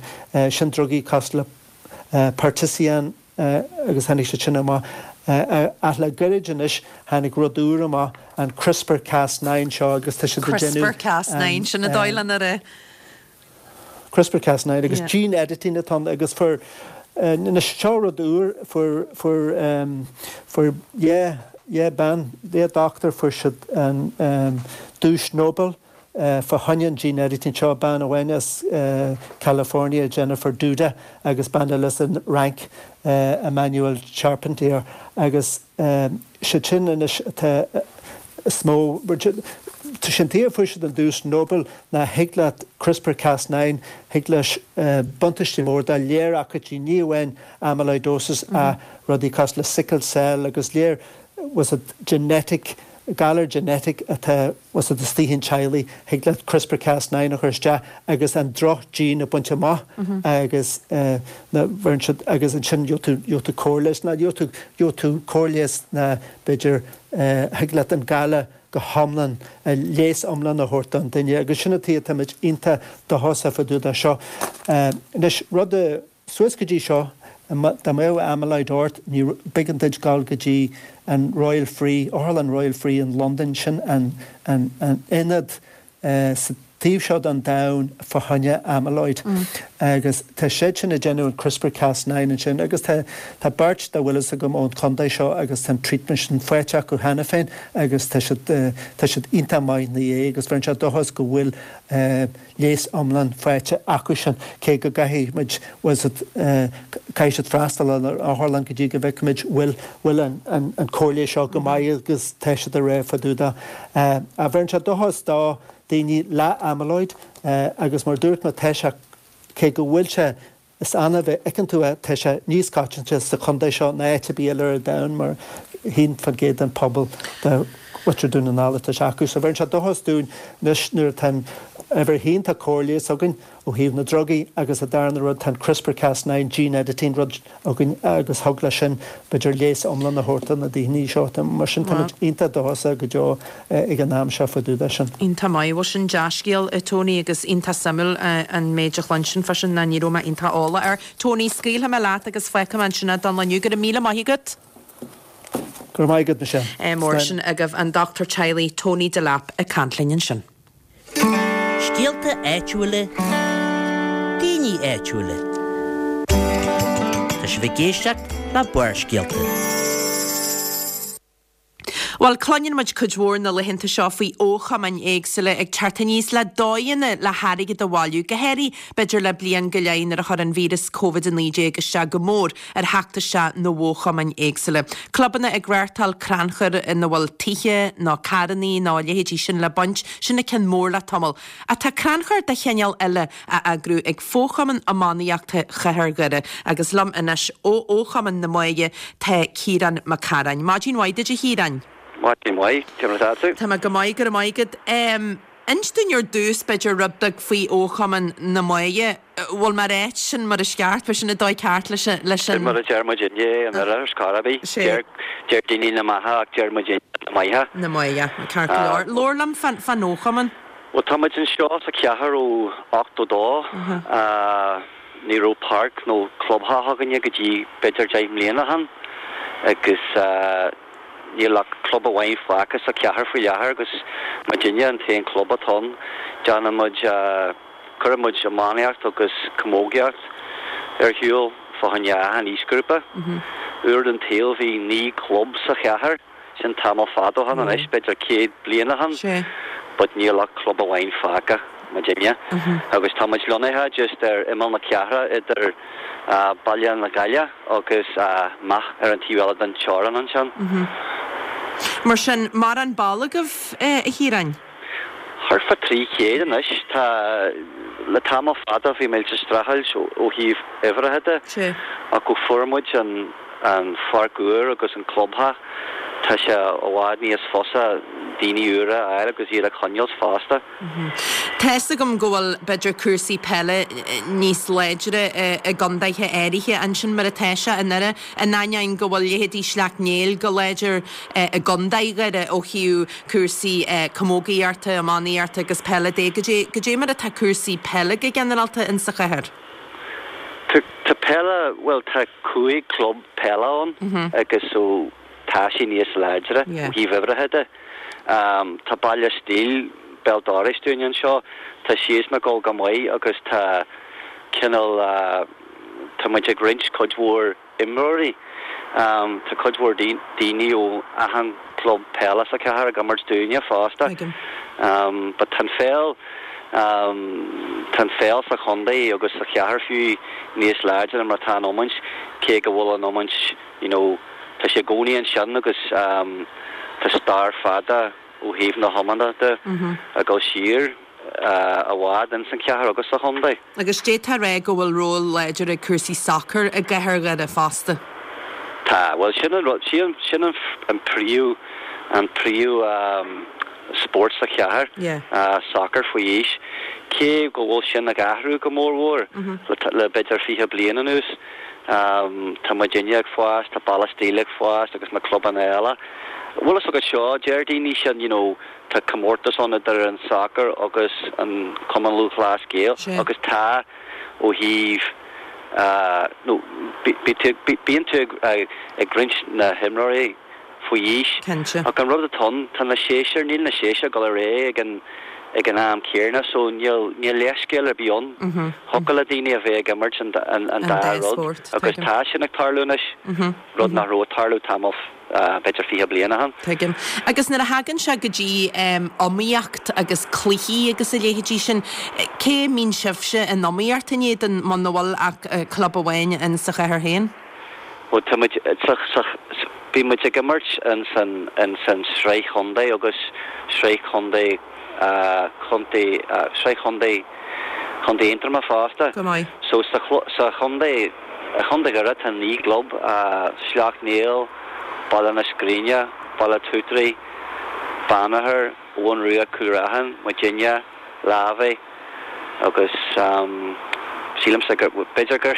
sin drugaí cosúil le Patisiran agus tháinig siad sin amach ach le gairid anois tháinig rud úr amach an CRISPR Cas nine seo agus tá siad ag déanamh CRISPR Cas nine sin an dóigh lena rá. CRISPR Cas nine agus gene editing atá ann agus fuair anois seo rud úr fuair fuair fuair dhá dhá bean dhá dochtúir fuair siad an duais Nobel fá choinne an gene editing seo bean amháin as California Jennifer Doudna agus bean eile as an Fhrainc Emmanuelle Charpentier agus siad sin anois atá is mó tá sin tuige a fuair siad an duais Nobel ná thig leat CRISPR Cas nine thig leis buntáistí mór dá léir aicídí ní amháin amyloidosis ach rudaí cosúil le sickle cell agus léir bhfuil a fhios agat genetic galar genetic atá bhfuil a fhios agat istigh in teaghlaigh thig leat CRISPR Cas nine a chur isteach agus an droch gene a bhaint amach agus na bheireann siad agus ansin gheobhaidh tú gheobhaidh tú cóir leighis ná gheobhaidh tú gheobhaidh tú cóir leighis ná b'fhéidir thig leat an galar go hiomlán leigheas iomlán a thabhairt don duine agus sin an tuige atáimid iontach dóchasach fá dtaobh de seo. Anois rud a suas go dtí seo dá mbeadh amyloid ort ní b'éigean duit dul go dtí an Royal Free, Otharlann Royal Free in Londain, sin an an an ionad sa taobh seo den domhan fá choinne amyloid. Agus tá siad sin ag déanamh an CRISPR Cas nine ansin agus tá tá beirt dá bhfuil fhios agam ón chontae seo agus tá an treatment sin faighte acu cheana féin agus tá siad tá siad iontach maith ina dhiaidh agus bheireann sé dóchas go bhfuil leigheas iomlán faighte acu sin cé go gcaithfidh muid bhfuil siad caithfidh siad freastal ar an otharlann go dtí go bhfeicfimid bhfuil bhfuil an an an cóir leighis seo go maith agus tá siad ag rá fá dtaobh de. Ach bheireann sé dóchas do daoine le amyloid agus mar dúirt mé tá sé cé go bhfuil sé is annamh a fheiceann tú é tá sé níos coitianta sa chontae seo ná áit ar bith eile ar an domhan mar haon faoin gcéad den pobal de mhuintir Dhún na nGall atá sé acu. So bheireann sé dóchas dúinn anois nuair atá an uimhir a haon tá cóir leighis againn ó thaobh na drugaí agus an darna rud tá an CRISPR Cas nine gene editing rud againn agus thig leis sin b'fhéidir leigheas iomlán a thabhairt do na daoine seo. Mar sin táimid iontach dóchasach go deo ag an am seo fá dtaobh de sin. Iontach maith. Bhuel sin dea-scéal, a Tony, agus iontach suimiúil an méid a chluinsinn fá sin ná ní raibh mé iontach eolach air. Tony, scaoilfidh mé leat agus fágfaidh mé ansin é don lá inniu. Go raibh míle maith agat. Go raibh maith agat, Michelle. Mar sin agaibh an dochtúir teaghlaigh Tony Delap ag caint linn ansin. Scéalta áitiúla, daoine áitiúla. Tá sibh ag éisteacht le Barrscéalta. Bhuel, cluineann muid cuid mhór na laethanta seo faoi fhochumainn éagsúla ag teacht aníos le dóigheanna le hairgead a bhailiú, go háirithe b'fhéidir le bliain go leith nuair a chuir an víreas Covid a naoi déag isteach go mór ar theacht isteach na bhfochumainn éagsúla. Clubanna ag reáchtáil crannchur ina bhfuil tithe nó carrannaí nó a leithéidí sin le baint, sin an ceann mór le tamall. Ach tá crannchur de chineál eile á eagrú ag Fochumann Iománaíochta Chathair Dhoire agus liom anois ó Fhochumann na Muaidhe tá Ciarán Mac Cearáin. Maidin mhaith duit a Chiaráin. Maidin mhaith, cé mar atá tú? Tá mé go maith, go raibh maith agat. Inis dúinn ar dtús, b'fhéidir, rud beag faoi Fhochumann na Muaidhe. Bhfuil mé ag ráit sin mar is ceart, bhfuil sin an dóigh ceart leis an, leis an. Sin mar a deir muid inne in oirthear ar scor ar bith. Sé. Deir daoine na Maithe ach deir muid inne na Maithe. Na Maithe, ceart go leor. Labhair liom fán, fán fhochumann. Bhuel, tá muid anseo sa chathair ó ochtó dó. Ní raibh páirc nó clubtheach againne go dtí b'fhéidir deich mbliana ó shin agus níl ach club amháin fágtha sa chathair faoi láthair agus muidinne an t-aon club atá ann. Déanann muid, cuireann muid iománaíocht agus camógaíocht ar shiúl fá choinne achan aoisghrúpa. Uair den tsaol bhí naoi gclub sa chathair, sin tamall fada ó shin anois, b'fhéidir céad bliain ó shin, but níl ach club amháin fágtha. muidinne. Agus tá muid lonnaithe just ar imeall na cathrach idir Baile na Gaille agus Meath ar an taobh eile den teorainn ansin. Mar sin, mórán ball agaibh, a Chiaráin? Thart fá trí chéad anois. Tá, le tamall fada bhí muid ag streachailt ó thaobh uimhreacha de ach ó fuair muid an an pháirc úr agus an clubtheach, tá sé i bhfad níos fusa daoine úra a fháil agus iad a choinneáil fosta. Tá's agam go bhfuil, b'fhéidir, cúrsaí peile níos láidre i gcondaetha áirithe ansin mar atá sé i nDoire, in ainneoin go bhfuil leithéidí Sleacht Néill go láidir i gcondae Dhoire ó thaobh cúrsaí camógaíochta, iománaíochta agus peile de. Goidé mar atá cúrsaí peile go ginearálta insa chathair? Tá peile, bhuel tá cúig club peile ann agus so tá sé níos láidre ó thaobh uimhreacha de. Tá Baile Stíl béal dorais dúinn anseo, tá siadsan ag dul go maith agus tá cineál, tá muid ag roinnt cuid mhór imreoirí. Tá cuid mhór daoine ó achan club peile sa chathair ag imirt dúinne fosta. But tá an pheil, tá an pheil sa chontae agus sa chathair fiú níos láidre ná mar atá an iomáint, cé go bhfuil an iomáint, you know, tá sé i gcónaí ansin agus tá stair fada ó thaobh na hiomána de ag dul siar i bhfad ins an chathair agus sa chontae. Agus d'fhéadfá a rá go bhfuil ról láidir ag cúrsaí sacair i gcathair Dhoire fosta. Tá, bhuel sin an rud, sin an príomh, an príomh spórt sa chathair, sacar faoi aois, cé go bhfuil sin ag athrú go mór mhór le b'fhéidir fiche bliain anuas. Tá muidinne ag fás, tá Baile Stíl ag fás agus na clubanna eile. Bhfuil fhios agat seo, deir daoine sin, you know, tá comórtas ann idir an sacar agus an Cumann Lúthchleas Gael agus tá ó thaobh, nó bíonn tú ag roinnt na himreoirí faoi aois. Cinnte. Ach an rud atá ann, tá na séisir, níl na séisir ag dul ar aghaidh ag an, ag an am céanna so níl níl leithscéal ar bith ann. Thiocfadh le daoine a bheith ag imirt an an dá rud agus tá sin ag tarlú anois, rud nach raibh ag tarlú tamall b'fhéidir fiche bliain ó shin. Tuigim. Agus nuair a thagann sé go dtí iomaíocht agus cluichí agus a leithéidí sin, cé a mbíonn sibhse in iomaíocht in éadan muna bhfuil ach club amháin in sa chathair féin? Bhuel tá muid sa sa bíonn muid ag imirt in san in san sraith chontae agus sraith chontae chontae sraith chontae Chontae Aontroma fosta. Go maith. So sa sa chontae i Chontae Dhoire tá naoi gclub, Sleacht Néill, Baile na Scríne, Baile Tutraí, Banagher, Abhainn Rua Cúil Raithin, muidinne, Lavey agus sílimse gur b'fhéidir gur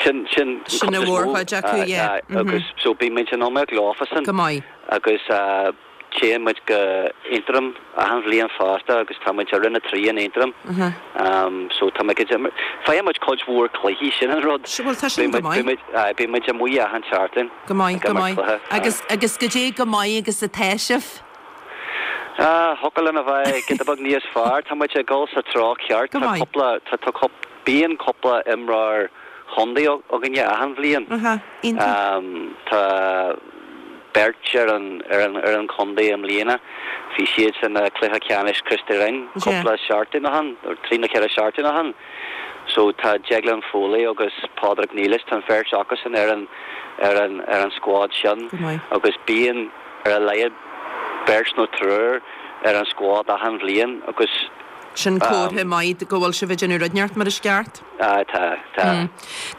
sin sin Sin an mhórchuid acu, yeah. Agus so bíonn muid in iomaíocht leofasan. Go maith. Agus téann muid go Aontroim achan bhliain fosta agus tá muid i Roinn a trí in Aontroim. So tá muid ag imirt, faigheann muid cuid mhór cluichí, sin an rud. Bhuel tá sin go maith. Bíonn muid, bíonn muid amuigh achan seachtain. Go maith, go maith. Agus, agus goidé chomh maith agus atá sibh? Ah, thiocfadh linn a bheith giota beag níos fearr. Tá muid ag dul sa treo ceart. Go Tá maith. cúpla, tá, tá cúp, bíonn cúpla imreoir chontae againne achan bhliain. Aha, iontach. Tá beirt ar an, ar an, ar an chontae i mbliana. Bhí siad san cluiche ceannais Christy Ring cúpla seachtain ó shin, nó trí nó ceithre seachtain ó shin. So tá Declan Foley agus Pádraig Nelis, tá an bheirt acusan ar an, ar an, ar an squad sin. Go maith. Agus bíonn ar a laghad beirt nó triúr ar an squad achan bhliain agus Sin comhartha maith go bhfuil sibh ag déanamh rud inteacht mar is ceart. Ah, tá, tá.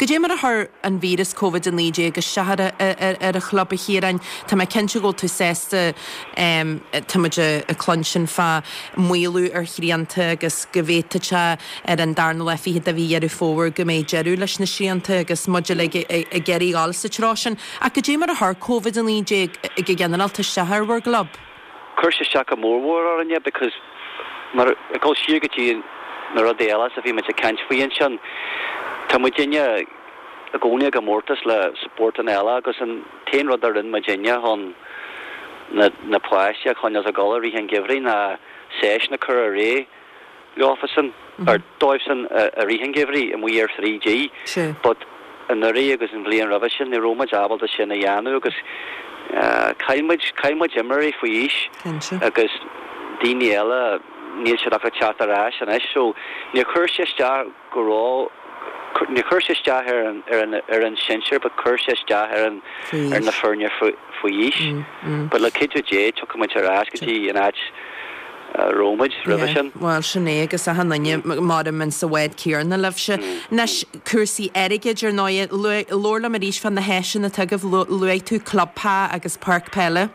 Goidé mar a chuir an víreas Covid a naoi déag isteach ar ar ar an chlub a Chiaráin. Tá mé cinnte go bhfuil tú sásta tá muid ag cluinstin fá maolú ar shrianta agus go bhféadfadh sé ar an darna lá fichead de mhí Dheireadh Fómhair go mbeidh deireadh leis na srianta agus muid uilig ag iarraidh dul sa treo sin. Ach goidé mar a chuir Covid a naoi déag go ginearálta isteach ar bhur gclub? Chuir sé isteach go mórmhór orainne because mar ag dul siar go dtí na rudaí eile a bhí muid ag caint faoi ansin, tá muidinne i gcónaí i gcomórtas le spórtanna eile agus an t-aon rud a rinne muidinne chun na na páistí a choinneáil ag dul i rith an gheimhridh ná seisiún a chur ar aghaidh leofasan, ar dóibhsan i rith an gheimhridh amuigh ar three G. But anuraidh agus an bhliain roimhe sin ní raibh muid ábalta sin a dhéanamh agus chaill muid, chaill muid imreoirí faoi aois agus daoine eile níl siad ach ag teacht ar ais anois so níor chuir sé isteach go raibh, níor chuir sé isteach ar an, ar an, ar an sinsir but chuir sé isteach ar an, ar na foirne faoi aois. But le cuidiú Dé tiocfaidh muid ar ais go dtí an áit a raibh muid roimhe sin. Bhuel, sin é, agus achan duine maram in sa bhád céanna libhse. Anois, cúrsaí airgid, ar ndóigh. Labhair liom arís fá na háiseanna atá agaibh. Luaigh tú club pá agus páirc peile.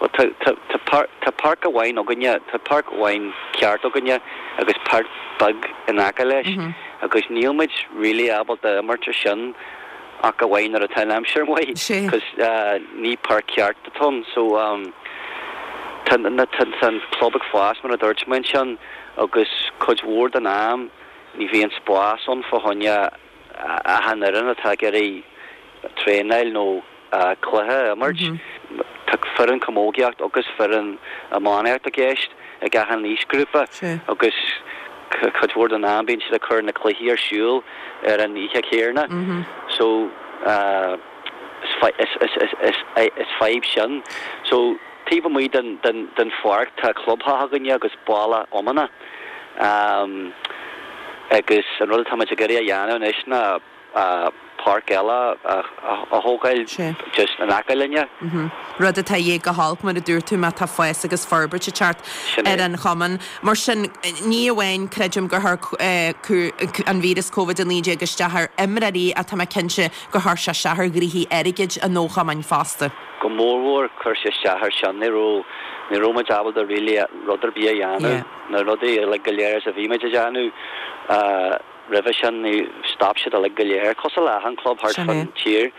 Bhuel, tá, tá, tá páirc, tá páirc amháin againne, tá páirc amháin ceart againne agus páirc beag in aice leis agus níl muid really ábalta imirt ar sin ach amháin nuair atá an aimsir maith cos ní páirc ceart atá ann. So, tá, tá an club ag fás mar a dúirt mé ansin agus cuid mhór den am ní bhíonn spás ann fá choinne achan fhoireann atá ag iarraidh traenáil nó cluiche a imirt. Tá foireann camógaíocht agus foireann iománaíocht i gceist ag achan aoisghrúpa agus cuid mhór den am bíonn siad ag cur na cluichí ar siúl ar an oíche chéanna. So is fadhb sin. So taobh amuigh den den pháirc tá clubtheach againne agus balla iomána agus an rud atá muid ag iarraidh a dhéanamh anois ná páirc eile a thógáil just in aice linne. Rud atá a dhíth go holc, mar a dúirt tú, má tá fás agus forbairt ag teacht ar an chumann. Mar sin, ní amháin, creidim, gur chuir an víreas Covid a naoi déag isteach ar imreoirí ach tá mé cinnte gur chuir sé isteach ar ghnoithí airgid an chumainn fosta. Go mórmhór, chuir sé isteach ar sin. Ní raibh, ní raibh muid ábalta really rud ar bith a dhéanamh. Na rudaí uilig go léir is a bhí muid a dhéanamh roimhe sin, ní, stop siad uilig go léir, cosúil le achan club thart fán tír.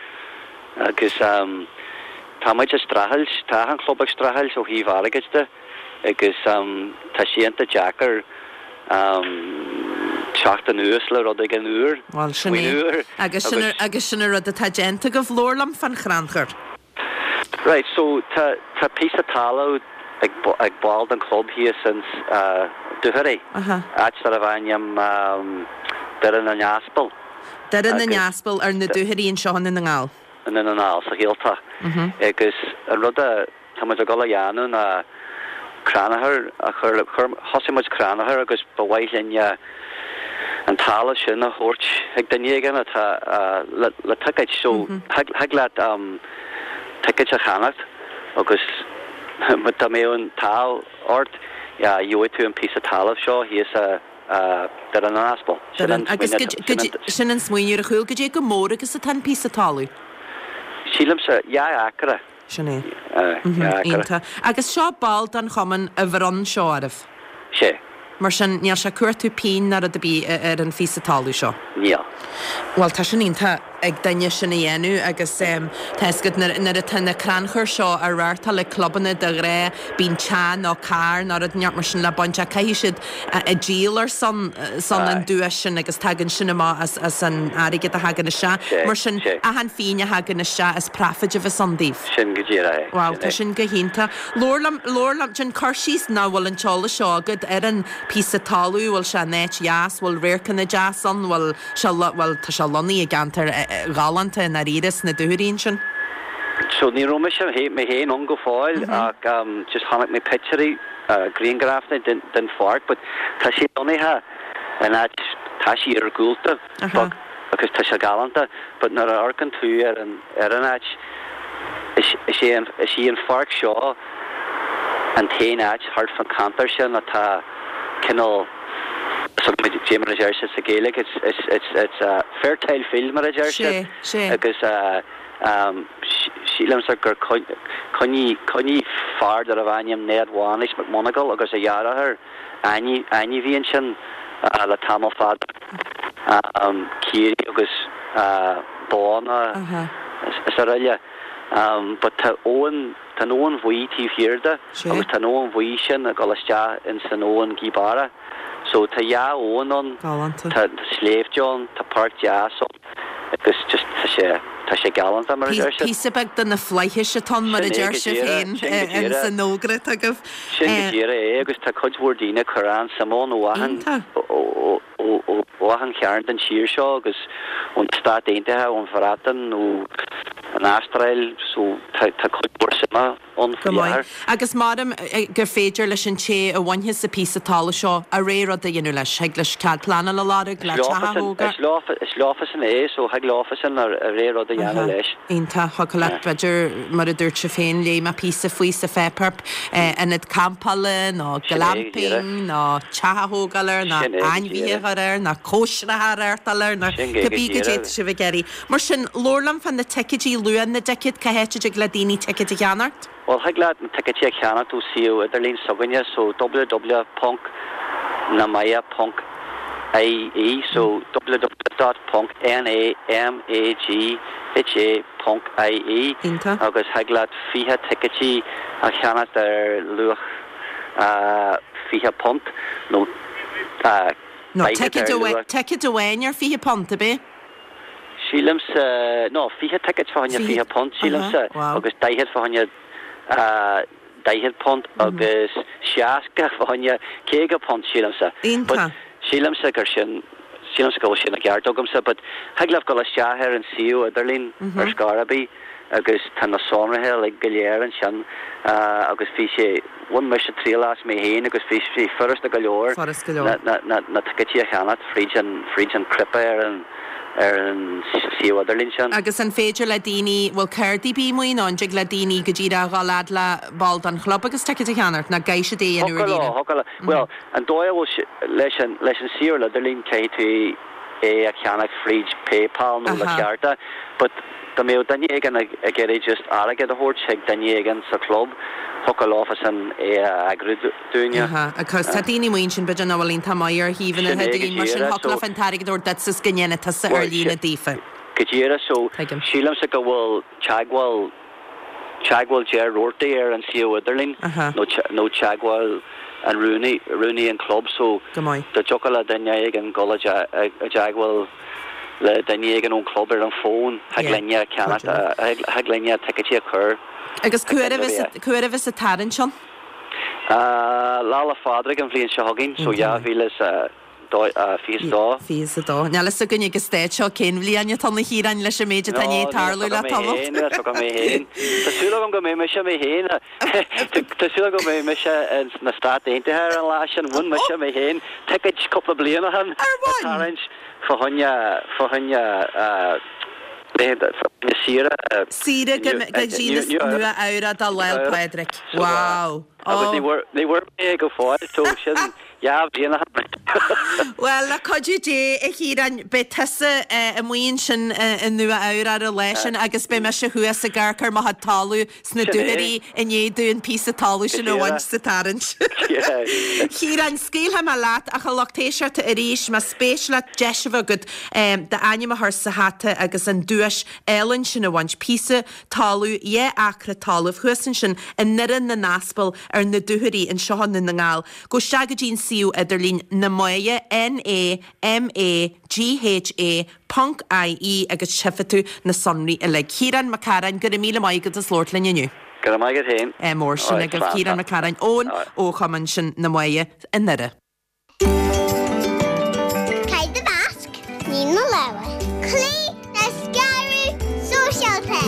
Agus tá muid ag streachailt, tá achan club ag streachailt ó thaobh airgid de agus tá sé iontach deacair teacht anuas le rud éigin úr, Bhuel, sin faoin é. úr Agus sin agus. agus sin an rud atá déanta agaibh. Labhair liom fán chrannchur. Right, so tá tá píosa talamh ag ag ball den chlub thíos ins Dúchoraidh, áit darbh ainm Doire na nAspal. Doire na nAspal ar na Dúchoraidh anseo i nDún na nGall. I nDún na nGall, sa Ghaeltacht. Agus an rud a tá muid ag dul a dhéanamh ná crannchur a chur, thosaigh muid crannchur agus ba mhaith linn an talamh sin a thabhairt ag duine éigin atá le ticéid. So thig leat ticéid a cheannacht agus dá mbeadh an t-ádh ort gheobhaidh tú an píosa talaimh seo thíos i Doire na nAspal. Sin an smaoineamh. Sin an smaoineamh ar a chúl. Goidé chomh mór agus atá an píosa talaimh? Sílimse dhá acra. Sin é. Iontach. Agus seo ball den chumann a bhronn seo oraibh? Sea. Mar sin, níl sé ag cuartú pingin ná rud ar bith ar an phíosa talamh seo? Níl. Bhuel, tá sin iontach ag duine sin a dhéanamh agus tá fhios agat nuair atá na crannchuir seo á reáchtáil ag clubanna de ghnáth bíonn teach nó carr nó rud inteacht mar sin le baint ach caithfidh siad a díol ar son son an duais sin agus tagann sin amach as as an airgead a thagann isteach. Mar sin, achan phingin a thagann isteach is profit a bheas ann daoibh. Sin go díreach é. Wow, tá sin go hiontach. Labhair liom, labhair liom, déan cur síos ná bhfuil an t-eolas seo agat ar an píosa talamh, bhfuil sé in áit dheas, bhfuil radharcanna deas ann, bhfuil sé, bhuel tá sé lonnaithe i gceantar galánta i ndáiríre sna Dúchoraidh ansin. So ní raibh mise mé féin ann go fóill ach just chonaic mé pictiúirí, grianghrafanna den den pháirc but tá sé lonnaithe in áit, tá sí iargúlta but agus tá sé galánta but nuair a amharcann tú ar an ar an áit is is é an is í an pháirc seo an t-aon áit thart fán cheantar sin atá cineál so mar a deir siad sa Ghaeilge it's it's it's it's a fertile field mar a deir siad agus sílimse gur choinnigh choinnigh fear darbh ainm Ned Mhánais McMonagle agus a dheartháir ainmhí ansin le tamall fada caoirigh agus bóna is araile but tá abhainn tá an Abhainn Bhuí taobh thiar de agus tá an Abhainn Bhuí sin ag dul isteach ins an Abhainn Ghaoth Beara. So tá dhá abhainn ann, tá sléibhte ann, tá páirc deas ann agus just tá sé, tá sé galánta mar a deir siad. Píosa beag de na flaithis atá ann mar a deir sibh féin ins an fhógra atá agaibh. Sin go díreach é agus tá cuid mhór daoine ag cur an-suim ann ó achan, ó achan chearn den tír seo agus ón Stát Aontaithe, ón Bhreatain, ó an Astráil, so tá tá cuid mhór suime ann Go faoi maith. láthair. Agus maram gur féidir leis an té a bhainfeas an píosa talamh seo a rogha rud a dhéanamh leis. Thig leis cead pleanála a lorg le Is teach a leofasan, thógáil. is leofa, is leofasan é, so thig leofasan a rogha rud a dhéanamh Aha. leis. Iontach. Thiocfadh leat, b'fhéidir, mar a dúirt sibh féin, léigh mé píosa faoi sa pháipéar, ionad campála nó Sin é go díreach. glamping nó teach a thógáil air nó Sin é go ainmhithe a díreach. chur air nó cóisreacha a reáchtáil air nó Sin go go cibé goidé díreach. atá sibh ag iarraidh. Mar sin, labhair liom fá na ticéidí, luaigh na dticéad, cá háit a dtig le daoine ticéid a cheannacht? Bhuel, thig leat na ticéidí a cheannacht ó suíomh idirlín s'againne, so www ponc namagha ponc ie, so www dot ponc N A M A G H A ponc I E, Iontach. Agus thig leat fiche ticéidí a cheannacht ar luach fiche punt nó No, daichead ticéad ar amháin, luach. ticéad amháin ar fiche punt, ab é? Sílimse, no, fiche ticéad fá choinne Fiche, fiche punt, aha, sílimse, wow. Agus daichead fá choinne daichead punt agus seasca fá choinne caoga punt, sílimse. But Iontach. sílimse gur sin, sílimse go bhfuil sin i gceart agamsa, but thig libh dul isteach ar an suíomh idirlín ar scor ar bith agus tá na sonraithe uilig go léir ansin agus bhí sé, bhain mise triail as mé féin agus bhí sé furasta go leor Furasta go leor. na, na, na ticéidí a cheannacht fríd an, fríd an cnaipe ar an, ar an suíomh idirlín sin. Agus an féidir le daoine, bhfuil cártaí bí amuigh nó an dtig le daoine go díreach a dhul fhad le ball den chlub agus ticéad a cheannacht, nó caithfidh siad é a dhéanamh ar Thiocfadh leo, líne? thiocfadh leo. Bhuel, an dóigh a bhfuil sé, leis an, leis an suíomh idirlín caithfidh tú é a cheannach fríd PayPal nó le Aha. cárta, but dá mbeadh duine éigin ag ag iarraidh just airgead a thabhairt chuig duine éigin sa chlub, thiocfadh leofasan é a eagrú dúinne. Aha, agus tá daoine amuigh ansin b'fhéidir nach bhfuil iontach maith ar shuíomhanna Sin é go idirlín, mar sin díreach, thiocfadh so leofa an t-airgead a thabhairt duit is go ndéanfaidh tusa ar Bhuel, líne sin daofa. go díreach, so Tuigim. sílimse go bhfuil teagmháil teagmháil Ger Roarty ar an suíomh idirlín Aha. nó nó teagmháil an rúnaí rúnaí an club so Go maith. dá dtiocfadh le duine éigin dul i dteagmháil le duine éigin ón club ar an bhfón thig Yeah. linne ceannacht thig linne ticéidí a chur Agus chuig cá huair duine a bheas an tarraingt ann? Lá 'le Pádraig an bhliain seo chugainn, so dhá mhíle is a fiche a dó. Fiche a dó. Níl fhios againn ag an staid seo cén bhliain atá ann a Chiaráin leis an méid atá i ndiaidh tarlú le tamall. Níl fhios agam mé féin. Tá súil agam go mbeidh mise mé féin. Tá súil agam go mbeidh mise sna Stáit Aontaithe ar an lá sin. Bhain mise mé féin ticéid cúpla bliain ó shin. Ar bhain? Tarraingt fá choinne fá choinne laethanta fá choinne saoire. Saoire go dtí Nua Eabhrac do Lá 'le Pádraig. Wow. Agus ní bhfuair ní bhfuair mé é go fóill so sin dhá bhliain ó shin. Bhuel, le cuidiú Dé, a Chiaráin, beidh tusa amuigh ansin i Nua Eabhrac ar an lá sin agus beidh mise thuas ag amharc ar mo chuid talamh sna Dúchoraidh i ndiaidh domh an píosa talamh sin a bhaint sa tarraingt. Chiaráin, scaoilfidh mé leat ach a lucht éisteachta arís, más spéis leat deis a bheith agat d'ainm a chur sa hata agus an duais álainn sin a bhaint, píosa talamh, dhá acra talaimh thuas ansin i nDoire na nAspal ar na Dúchoraidh anseo i nDún na nGall. Gabh isteach go dtí an suíomh idirlín Na Magha, N A M A G H A, ponc I E agus tchífidh tú na sonraí uilig. Ciarán Mac Cearáin, go raibh míle maith agat as labhairt linn inniu. Go raibh maith agat féin. Mór sin agaibh Ciarán Mac Cearáin ón ó chumann sin Na Magha i nDoire. Caith do mhasc, nigh do lámha. Cloígh le scaradh sóisialta.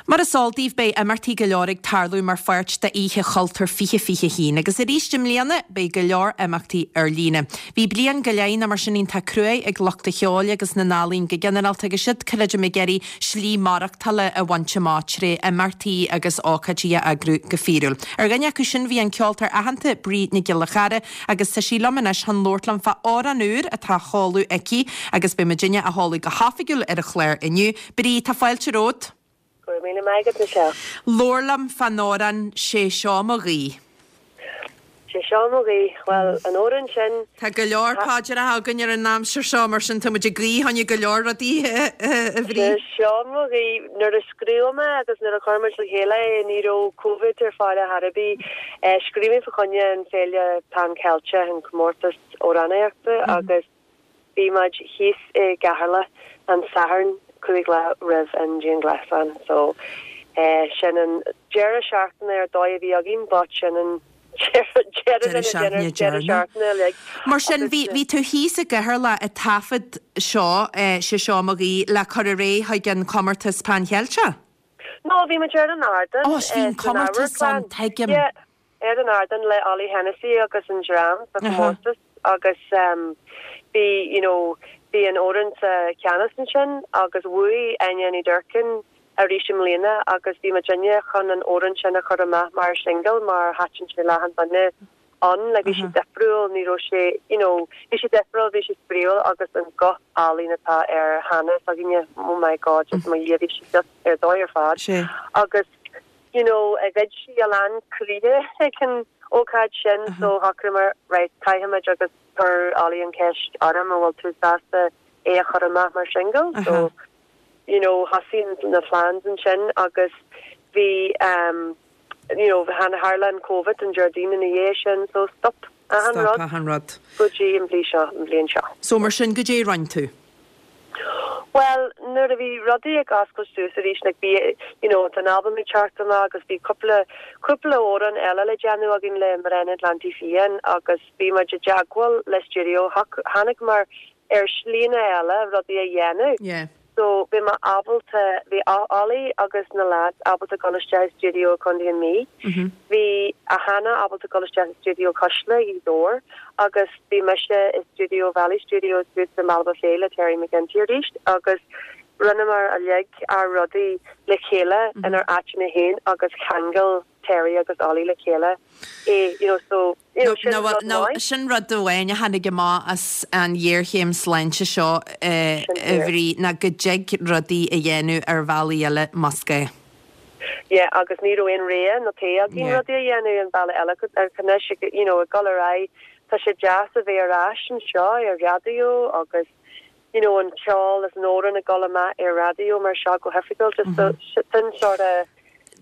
Mar is eol daoibh beidh imeachtaí go leor ag tarlú mar pháirt d'Oíche Chultúir fiche fiche haon agus arís i mbliana beidh go leor imeachtaí ar líne. Bhí bliain go leith nó mar sin iontach cruaidh ag lucht an cheoil agus na n-ealaíon go ginearálta agus siad creidim ag iarraidh slí maireachtála a bhaint amach tré imeachtaí agus ócáidí a eagrú go fíorúil. Ar dhuine acu sin bhí an ceoltóir aitheanta Bríd Nic Giolla Chara agus tá sí liom anois chun labhairt liom fá amhrán úr atá á sheoladh aici agus beidh muidinne á sheoladh go hoifigiúil ar an chlár inniu. Bríd, tá fáilte romhat. Go raibh míle maith agat, Michelle. Labhair liom fán amhrán 'Sé seo mo ghuí. 'Sé seo mo ghuí. Bhuel, an amhrán sin. Tá go leor paidreacha againn ar an aimsir seo, mar sin tá muid ag guí fá choinne go leor rudaí, a Bhríd. 'Sé seo mo ghuí. Nuair a scríobh mé agus nuair a chuir muid le chéile é, ní raibh Covid ar fáil ar chor ar bith. Scríobh mé fá choinne an Féile Pan Ceilteach, an comórtas amhránaíochta, agus bhí muid thíos i gCeatharlach an Satharn cúig lá roimh an dianghlasáil so sin an deireadh seachtaine ar dóigh a bhí againn but sin an deireadh den deireadh seachtaine uilig. Mar sin bhí bhí tú thíos i gCeatharlach ag taifead seo, 'Sé seo mo ghuí, le cur ar aghaidh chuig an comórtas Pan Cheilteach? No, bhí muid ar an ardán Ó, bhí an comórtas ann, tuigim. Yeah, ar an ardán le Ollie Hennessy agus an dream sa chomórtas agus bhí you know bhí an fhoireann sa cheannas ansin agus bhuaigh Áine Ní Dhurcáin arís i mbliana agus bhí muidinne chun an amhrán sin a chur amach mar singil mar thaitin sé le achan duine ann like bhí sé difriúil ní raibh sé you know bhí sé difriúil bhí sé spraíúil agus an guth álainn atá ar Hannah s'againne oh my god just mo Dhia bhí sí just ar dóigh ar fad agus you know ghoid sí a lán croíthe ag an ócáid sin so shocraíomar right caithfimid agus chuir Ollie an ceist orm an bhfuil tú sásta é a chur amach mar single so you know thosaigh na plans ansin agus bhí um you know tharla an Covid an Déardaoin ina dhiaidh sin so stop achan rud Stop achan rud. go dtí an bhliain seo an bhliain seo. So mar sin goidé a rinne tú? Bhuel nuair a bhí rudaí ag oscailt suas arís like bhí you know tá an album ag teacht amach agus bhí cúpla cúpla amhrán eile le déanamh againn le Mná an Atlantaigh Fiáin agus bhí muid i dteagmháil le stiúideo thángamar ar slína eile rudaí a dhéanamh. Yeah. So bhí mé ábalta bhí Ollie agus na lads ábalta dul isteach i stiúideo Contae na Mí. Bhí a Hannah ábalta dul isteach i stiúideo Cuisle i Dobhar agus bhí mise i stiúideo Valley Studios thuas i mBaile Bhá le Terry McGinty arís agus rinneamar uilig ár rudaí le chéile inár áiteanna féin agus cheangail Terry agus Ollie le chéile é you know so you know sin rud maith. Sin rud amháin a tháinig amach as an ghéarchéim sláinte seo a Bhríd ná go dtig rudaí a dhéanamh ar bhealaí eile más gá. Yeah agus ní raibh aon rogha nó té againn rudaí a dhéanamh an bealach eile anois you know ag dul ar aghaidh tá sé deas a bheith ar ais anseo ar raidió agus you know an ceol is an amhrán ag dul amach ar raidió mar seo go hoifigiúil just so sin sort of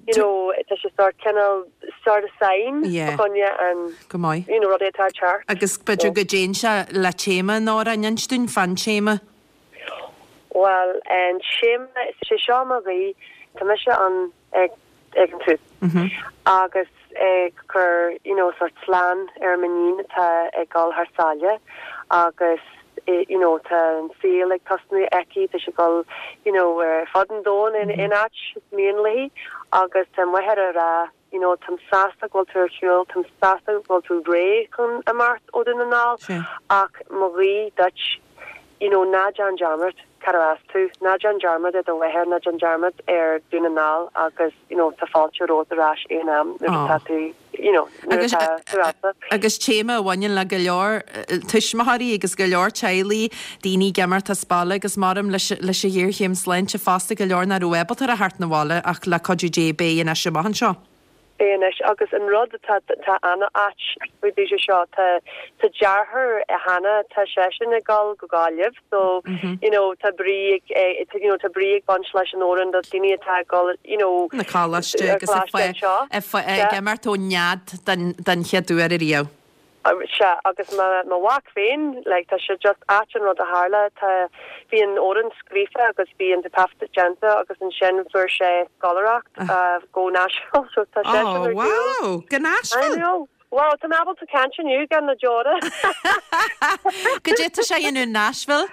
you know tá sé sort cineál sort of sign Yeah. choinne an Go maith. you know rudaí atá teacht. Agus b'fhéidir go dtéann sé le téama an amhráin inis dúinn fán téama. Well an téama sé seo mo ghuí tá mise an ag ag an tús. Agus ag cur you know sort slán ar m'iníon atá ag dul thar sáile agus you know tá an saol ag tosnú aici tá sí ag dul you know ar fud an domhain in in áit is mian léi agus tá máthair ag rá you know táim sásta go bhfuil tú ar shiúl táim sásta go bhfuil tú réidh chun imeacht ó Dhún na nGall ach mo ghuí duit you know ná déan dearmad cad as tú ná déan dearmad ar do mháthair ná déan dearmad ar Dhún na nGall agus you know tá fáilte romhat ar ais aon am nuair atá tú you know nuair Agus atá tú ábalta. Agus téama a bhaineann le go leor tuismitheoirí agus go leor teaghlaigh daoine ag imeacht as baile agus maram leis leis an ghéarchéim sláinte fosta go leor nach raibh ábalta a theacht 'na bhaile ach le cuidiú Dé beidh anois amach anseo. Beidh anois agus an rud atá tá an-ait faoi dtaobh de seo tá tá deartháir Hannah tá seisean ag dul go Gaillimh so you know tá brí ag eh, you know tá brí ag baint leis an amhrán do daoine atá ag dul you know Na coláiste ar agus ag coláiste anseo. ag imeacht ó nead den den chéad uair ariamh. Sea agus mo mo mhac féin like tá sé just ait an rud a tharla tá bhí an amhrán scríofa agus bhí an taifead déanta agus ansin fuair sé scoláireacht uh, go Nashville so tá sé Oh, wow, go Nashville? I know. Wow, tá mé ábalta caint inniu gan na deora. Goidé tá sé in Nashville?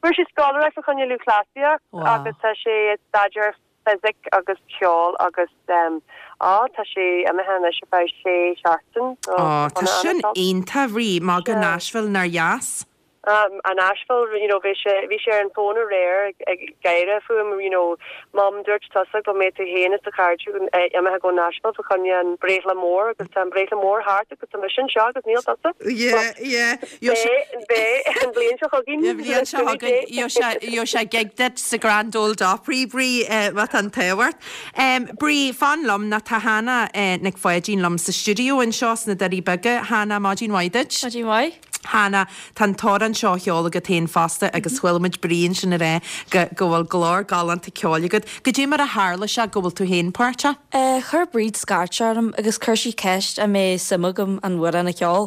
Fuair sé scoláireacht fá choinne lúthchleasaíocht Wow. agus tá sé ag staidéar fisic agus ceol agus um, á tá sé imithe anois ar feadh sé seachtain. so Ó, tá ana- sin ana- iontach Bhrí má go Nashville nár dheas. Um, an Nashville, you know, bhí sé bhí sé ar an fón aréir ag ag gáire fúm, you know, Mom dúirt tusa go mbeidh tú féin is do chairde imithe go Nashville fá choinne an breithlá mór agus tá an breithlá mór thart agus tá mise anseo agus níl tusa. Yeah, yeah. Beidh beidh an bhliain seo chugainn. Bhliain seo chugainn sé gig duit sa Grand Old Opry Brí uh, an tábhacht. Um, Brí fan liom ná tá Hannah uh, Nic Pháidín liom sa stiúideo anseo sna Doirí Beaga Hannah maidin mhaith duit. Maidin mhaith. Hannah tá an t-amhrán seo á cheol agat féin fosta agus chuala muid Brí ansin rá go go bhfuil glór galánta ceoil agat. Goidé mar a tharla sé go bhfuil tú féin páirteach? Uh, chuir Bríd scairt orm agus chuir sí ceist an mbeadh suim agam an t-amhrán a cheol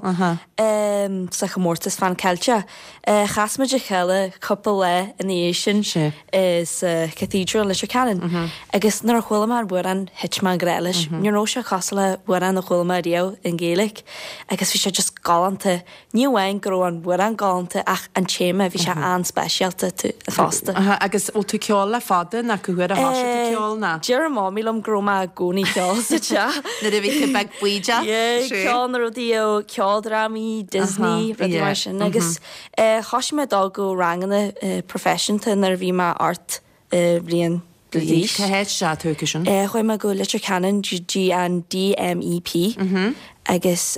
um, sa chomórtas Fan Ceilteach. Uh, chas muid a chéile cúpla lá ina dhiaidh sin sa Cathedral Leitir Ceanainn. Mm -hmm. Agus nuair a chuala mé an t-amhrán thit mé i ngrá leis. Mm -hmm. Ní raibh sé cosúil le hamhrán a chuala mé riamh i nGaeilge, agus bhí sé just galánta. Ní amháin go raibh an t-amhrán galánta ach an téama bhí sé an-speisialta fosta. Uh, agus bhfuil tú ceol le fada na go chuir a thosaigh tú ceol ná? Deir mamaí liom go raibh mé i gcónaí ag ceol sa teach. Nuair a bhí tú beag buídeach? Ceol na rudaí ó ceoldrámaí, Disney, rudaí mar sin agus thosaigh mé dul go ranganna proifisiúnta nuair a bhí mé ocht bliain d'aois. Cá háit sé tú sin? Chuaigh mé go Leitir Ceanainn dtí an DMEP agus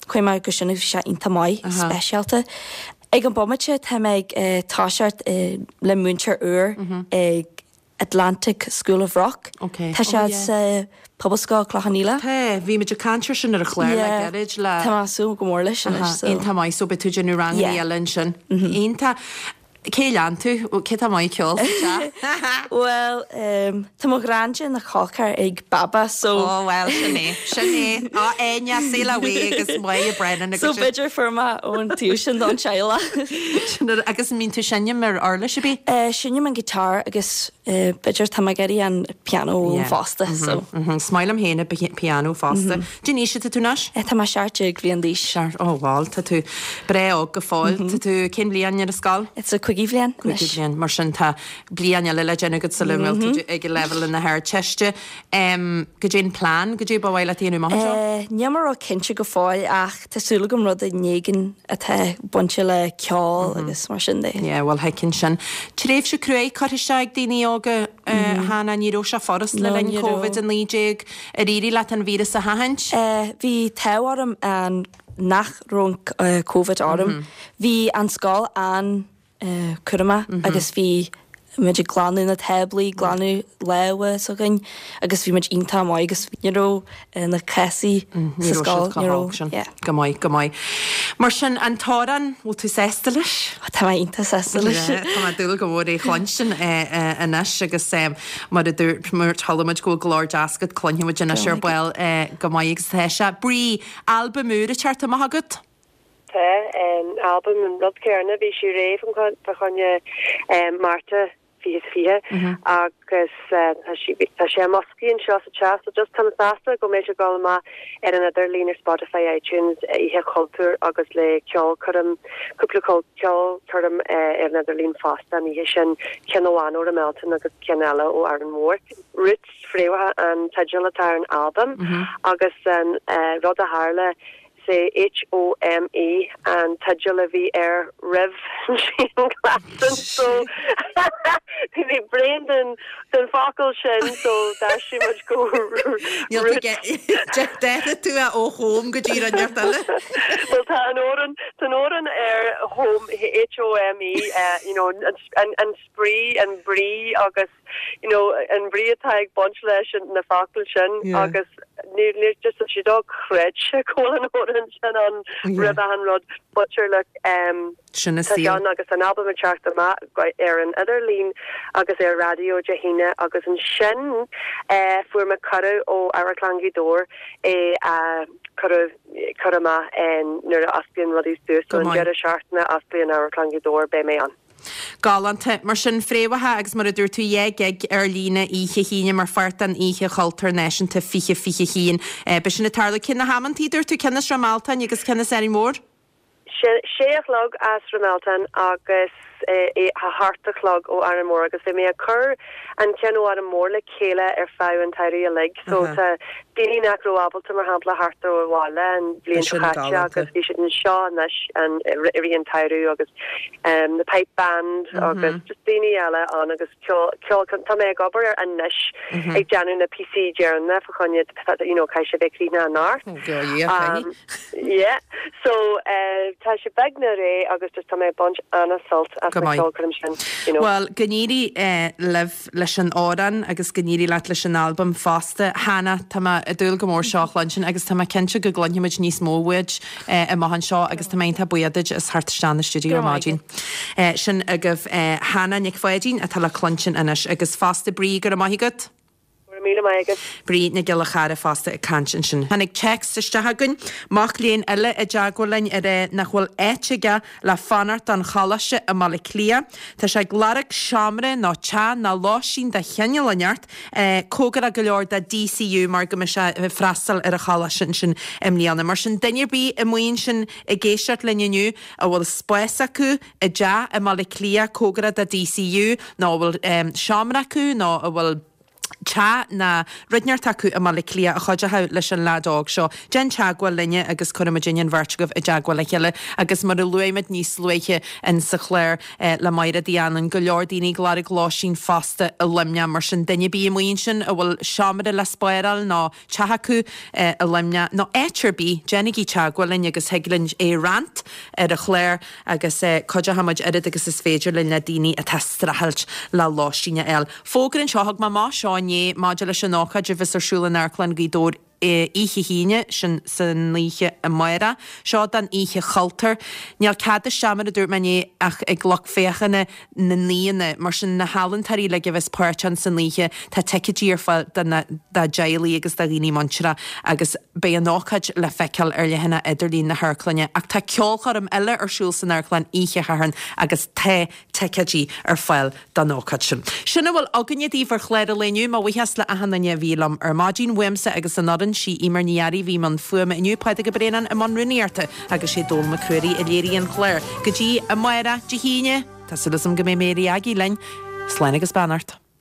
chuaigh mé go sin bhí sé iontach maith speisialta. Ag an bomaite tá mé ag toiseacht le múinteoir úr ag Atlantic School of Rock. Okay. Tá sé sa Pobalscoil Clochán Liath. Tá, bhí muid ag caint air sin ar an chlár le gairid le. Tá mé ag súil go mór leis anois. Iontach maith so beidh tú ag déanamh ranganna eile ansin. Iontach. Cé lean tú? Cé tá maith ceol sa Well, um, tá mo ghrainne ina col ceathar ag Baba so. Oh well sin é sin é á Áine sail away agus Máire Brennan So b'fhéidir fuair mé ón taobh sin don teaghlach. Agus mbíonn tú seinm ar uirlis ar bith? Uh, Seinnim an guitar agus uh, b'fhéidir tá mé ag iarraidh an piano mm -hmm. fosta. So. Mm -hmm. Is maith liom féin an piano fosta. Cén aois atá tú anois? Tá mé seacht déag bliain d'aois. Ó bhal tá tú breá óg go fóill Tá tú cén bhliain ar an scoil? It's a cúigiú bhliain. Cúigiú bhliain mar sin tá bliain eile le déanamh agat sula bhfuil tú ag leibhéal na hArdteiste. Goidé an plean goidé ba mhaith leat a dhéanamh amach anseo? Uh, Níl mé ró-chinnte go fóill ach tá súil agam rud éigin atá bainte le ceol agus mar sin de. Yeah, well thuigfinn sin. Tréimhse cruaidh curtha isteach ag daoine óga Hannah ní raibh sé furast le linn Covid a naoi déag ar éirigh leat an víreas a sheachaint? Uh, bhí an t-ádh orm an nach raibh uh, COVID orm. Bhí an scoil an uh, cúramach mm -hmm. agus bhí muid ag glanadh na táblaí, glanadh lámha s'againn agus bhí muid iontach maith agus ní raibh na cásanna sa scoil ní raibh. Go maith, go maith. Mar sin an t-amhrán bhfuil tú sásta leis? Tá mé iontach sásta leis. Tá mé ag dúil go mór é a chluinstin anois agus mar a dúirt mar chuala muid go bhfuil glór deas agat cluinfidh muid anois ar ball go maith agus tá sé. Brí albam úr ag teacht amach agat? Tá an albam an rud céanna bhí sé réidh fá choinne Márta fiche is fiche agus tá sí tá sé i mboscaí anseo sa teach so just tá mé sásta go mbeidh sé ag dul amach ar an idirlíon ar Spotify, iTunes, Oíche Chultúir agus le ceolchoirm cúpla ceolchoirm ar an idirlíon fosta an oíche sin, ceann amháin ó Ráth Mealtain agus ceann eile ó Árainn Mhór. Roots, Fréamhacha an teideal atá ar an albam agus an rud a tharla Is é HOME an teideal a bhí air roimh an chianghlasáil so bhí mé bréan den den focal sin so d'aistrigh muid go Roots. D'athraigh tú é ó home go dtí rud inteacht eile. Bhuel tá an amhrán tá an amhrán ar home HOME you know an an spraoi an brí agus you know an brí atá ag baint leis na focail sin agus ní ní just sé dochreidte go bhfuil an amhrán sin ann roimh achan rud but sure look um Sin is tá sé ann agus an albam ag teacht amach ar an idirlíon agus ar raidió Dé hAoine agus ansin eh fuair mé cuireadh ó Amharclann Ghaoth Dobhair é a chur cur amach nuair a osclaíonn rudaí suas so an deireadh seachtaine a osclaíonn Amharclann Ghaoth Dobhair beidh mé ann. Galánta. Mar sin, fréamhacha agus mar a dúirt tú, dhá ghig ar líne oíche hAoine mar pháirt den Oíche Chultúir Náisiúnta fiche fiche haon. Beidh sin ag tarlú. Cé na hamantaí, dúirt tú, ceann as Ráth Mealtain agus ceann as Árainn Mhór? Sé a chlog as Ráth Mealtain agus a hocht a chlog ó Árainn Mhór agus bhí mé ag cur an ceann ó Árainn Mhór le chéile ar feadh an tsamhraidh uilig so tá daoine nach raibh ábalta mar shampla theacht ó bhaile an bhliain seo caite agus bhí siad anseo anois an i rith an tsamhraidh agus um, the pipe band agus just daoine eile ann agus ceol ceol tá mé ag obair ar anois ag déanamh na píosaí deireanacha fá choinne you know caithfidh sé bheith críochnaithe anocht. Um, yeah so uh, tá sé beagnach réidh agus just tá mé ag baint an-sult as Go na maith. ceolchoirm sin you know. Bhuel, go n-éirí eh, libh leis an amhrán agus go n-éirí leat leis an albam fosta. Hannah, tá mé ag dúil go mór seo a chluinstin agus tá mé cinnte go gcluinfimid níos mó uait eh, amach anseo agus tá mé iontach buíoch duit as theacht isteach na stiúideo ar maidin. Eh, sin agaibh eh, Hannah Nic Pháidín atá le cluinstin anois agus fosta Brí go raibh maith agat. Go raibh míle maith agat. Brí Nic Giolla Chara fosta ag caint ansin. Tháinig text isteach againn, mac léinn eile i dteagmháil linn ag rá nach bhfuil áit aige le fanacht don choláiste i mBaile Átha Cliath. Tá sé ag lorg seomra nó teach nó lóistín de chineál inteacht, cóngarach go leor do DCU mar go mbeidh sé ag freastal ar an choláiste ansin i mbliana. Mar sin duine ar bith amuigh ansin ag éisteacht linn inniu a bhfuil spás acu i dteach i mBaile Átha Cliath cóngarach do DCU nó a bhfuil seomra acu nó a bhfuil teach nó rud inteacht acu i mBaile Átha Cliath a chuideochadh leis an leaid óg seo. Déan teagmháil linne agus cuirfimid an bheirt agaibh i dteagmháil le chéile agus mar a luaigh muid níos luaithe in sa chlár le Máire Uí Annain, go leor daoine ag lorg lóistín fosta i Luimneach mar sin duine ar bith amuigh ansin a bhfuil seomra le spáráil nó teach acu i Luimneach nó áit ar bith, déanaigí teagmháil linn agus thig linn é roinnt ar an chlár agus cuideoidh muid oiread agus is féidir linn le daoine atá ag streachailt le lóistín a fháil. Fógra anseo thug mé amach seo inné maidir leis an ócáid a bheas ar siúl in Amharclann Ghaoth Dobhair oíche hAoine, sin san oíche amárach. Seo don Oíche Chultúir. Níl cead isteach mar a dúirt mé inné ach ag lucht féachana na n-aíonna, mar sin na healaíontóirí uilig a bheas páirteach san oíche, tá ticéidí ar fáil do na dá dteaghlaigh agus do dhaoine muinteartha agus beidh an ócáid le feiceáil ar leathanach idirlín na hamharclainne. Ach tá ceolchoirm eile ar siúl san amharclann oíche Shathairn agus tá ticéidí ar fáil don ócáid sin. Sin a bhfuil againne daoibh ar chlár an lae inniu. Mo bhuíochas le achan duine a bhí liom ar maidin, uaimse agus an fhoireann, sí Eimear Ní Fhearraigh a bhí i mbun fuaime inniu, Pádraig Ó Braonáin i mbun rúnaíochta agus sé Dónal Mac Ruairí a léirigh an clár. Go dtí amárach, Dé hAoine, tá súil agam go mbeidh Mary Aggie linn. Slán agus beannacht.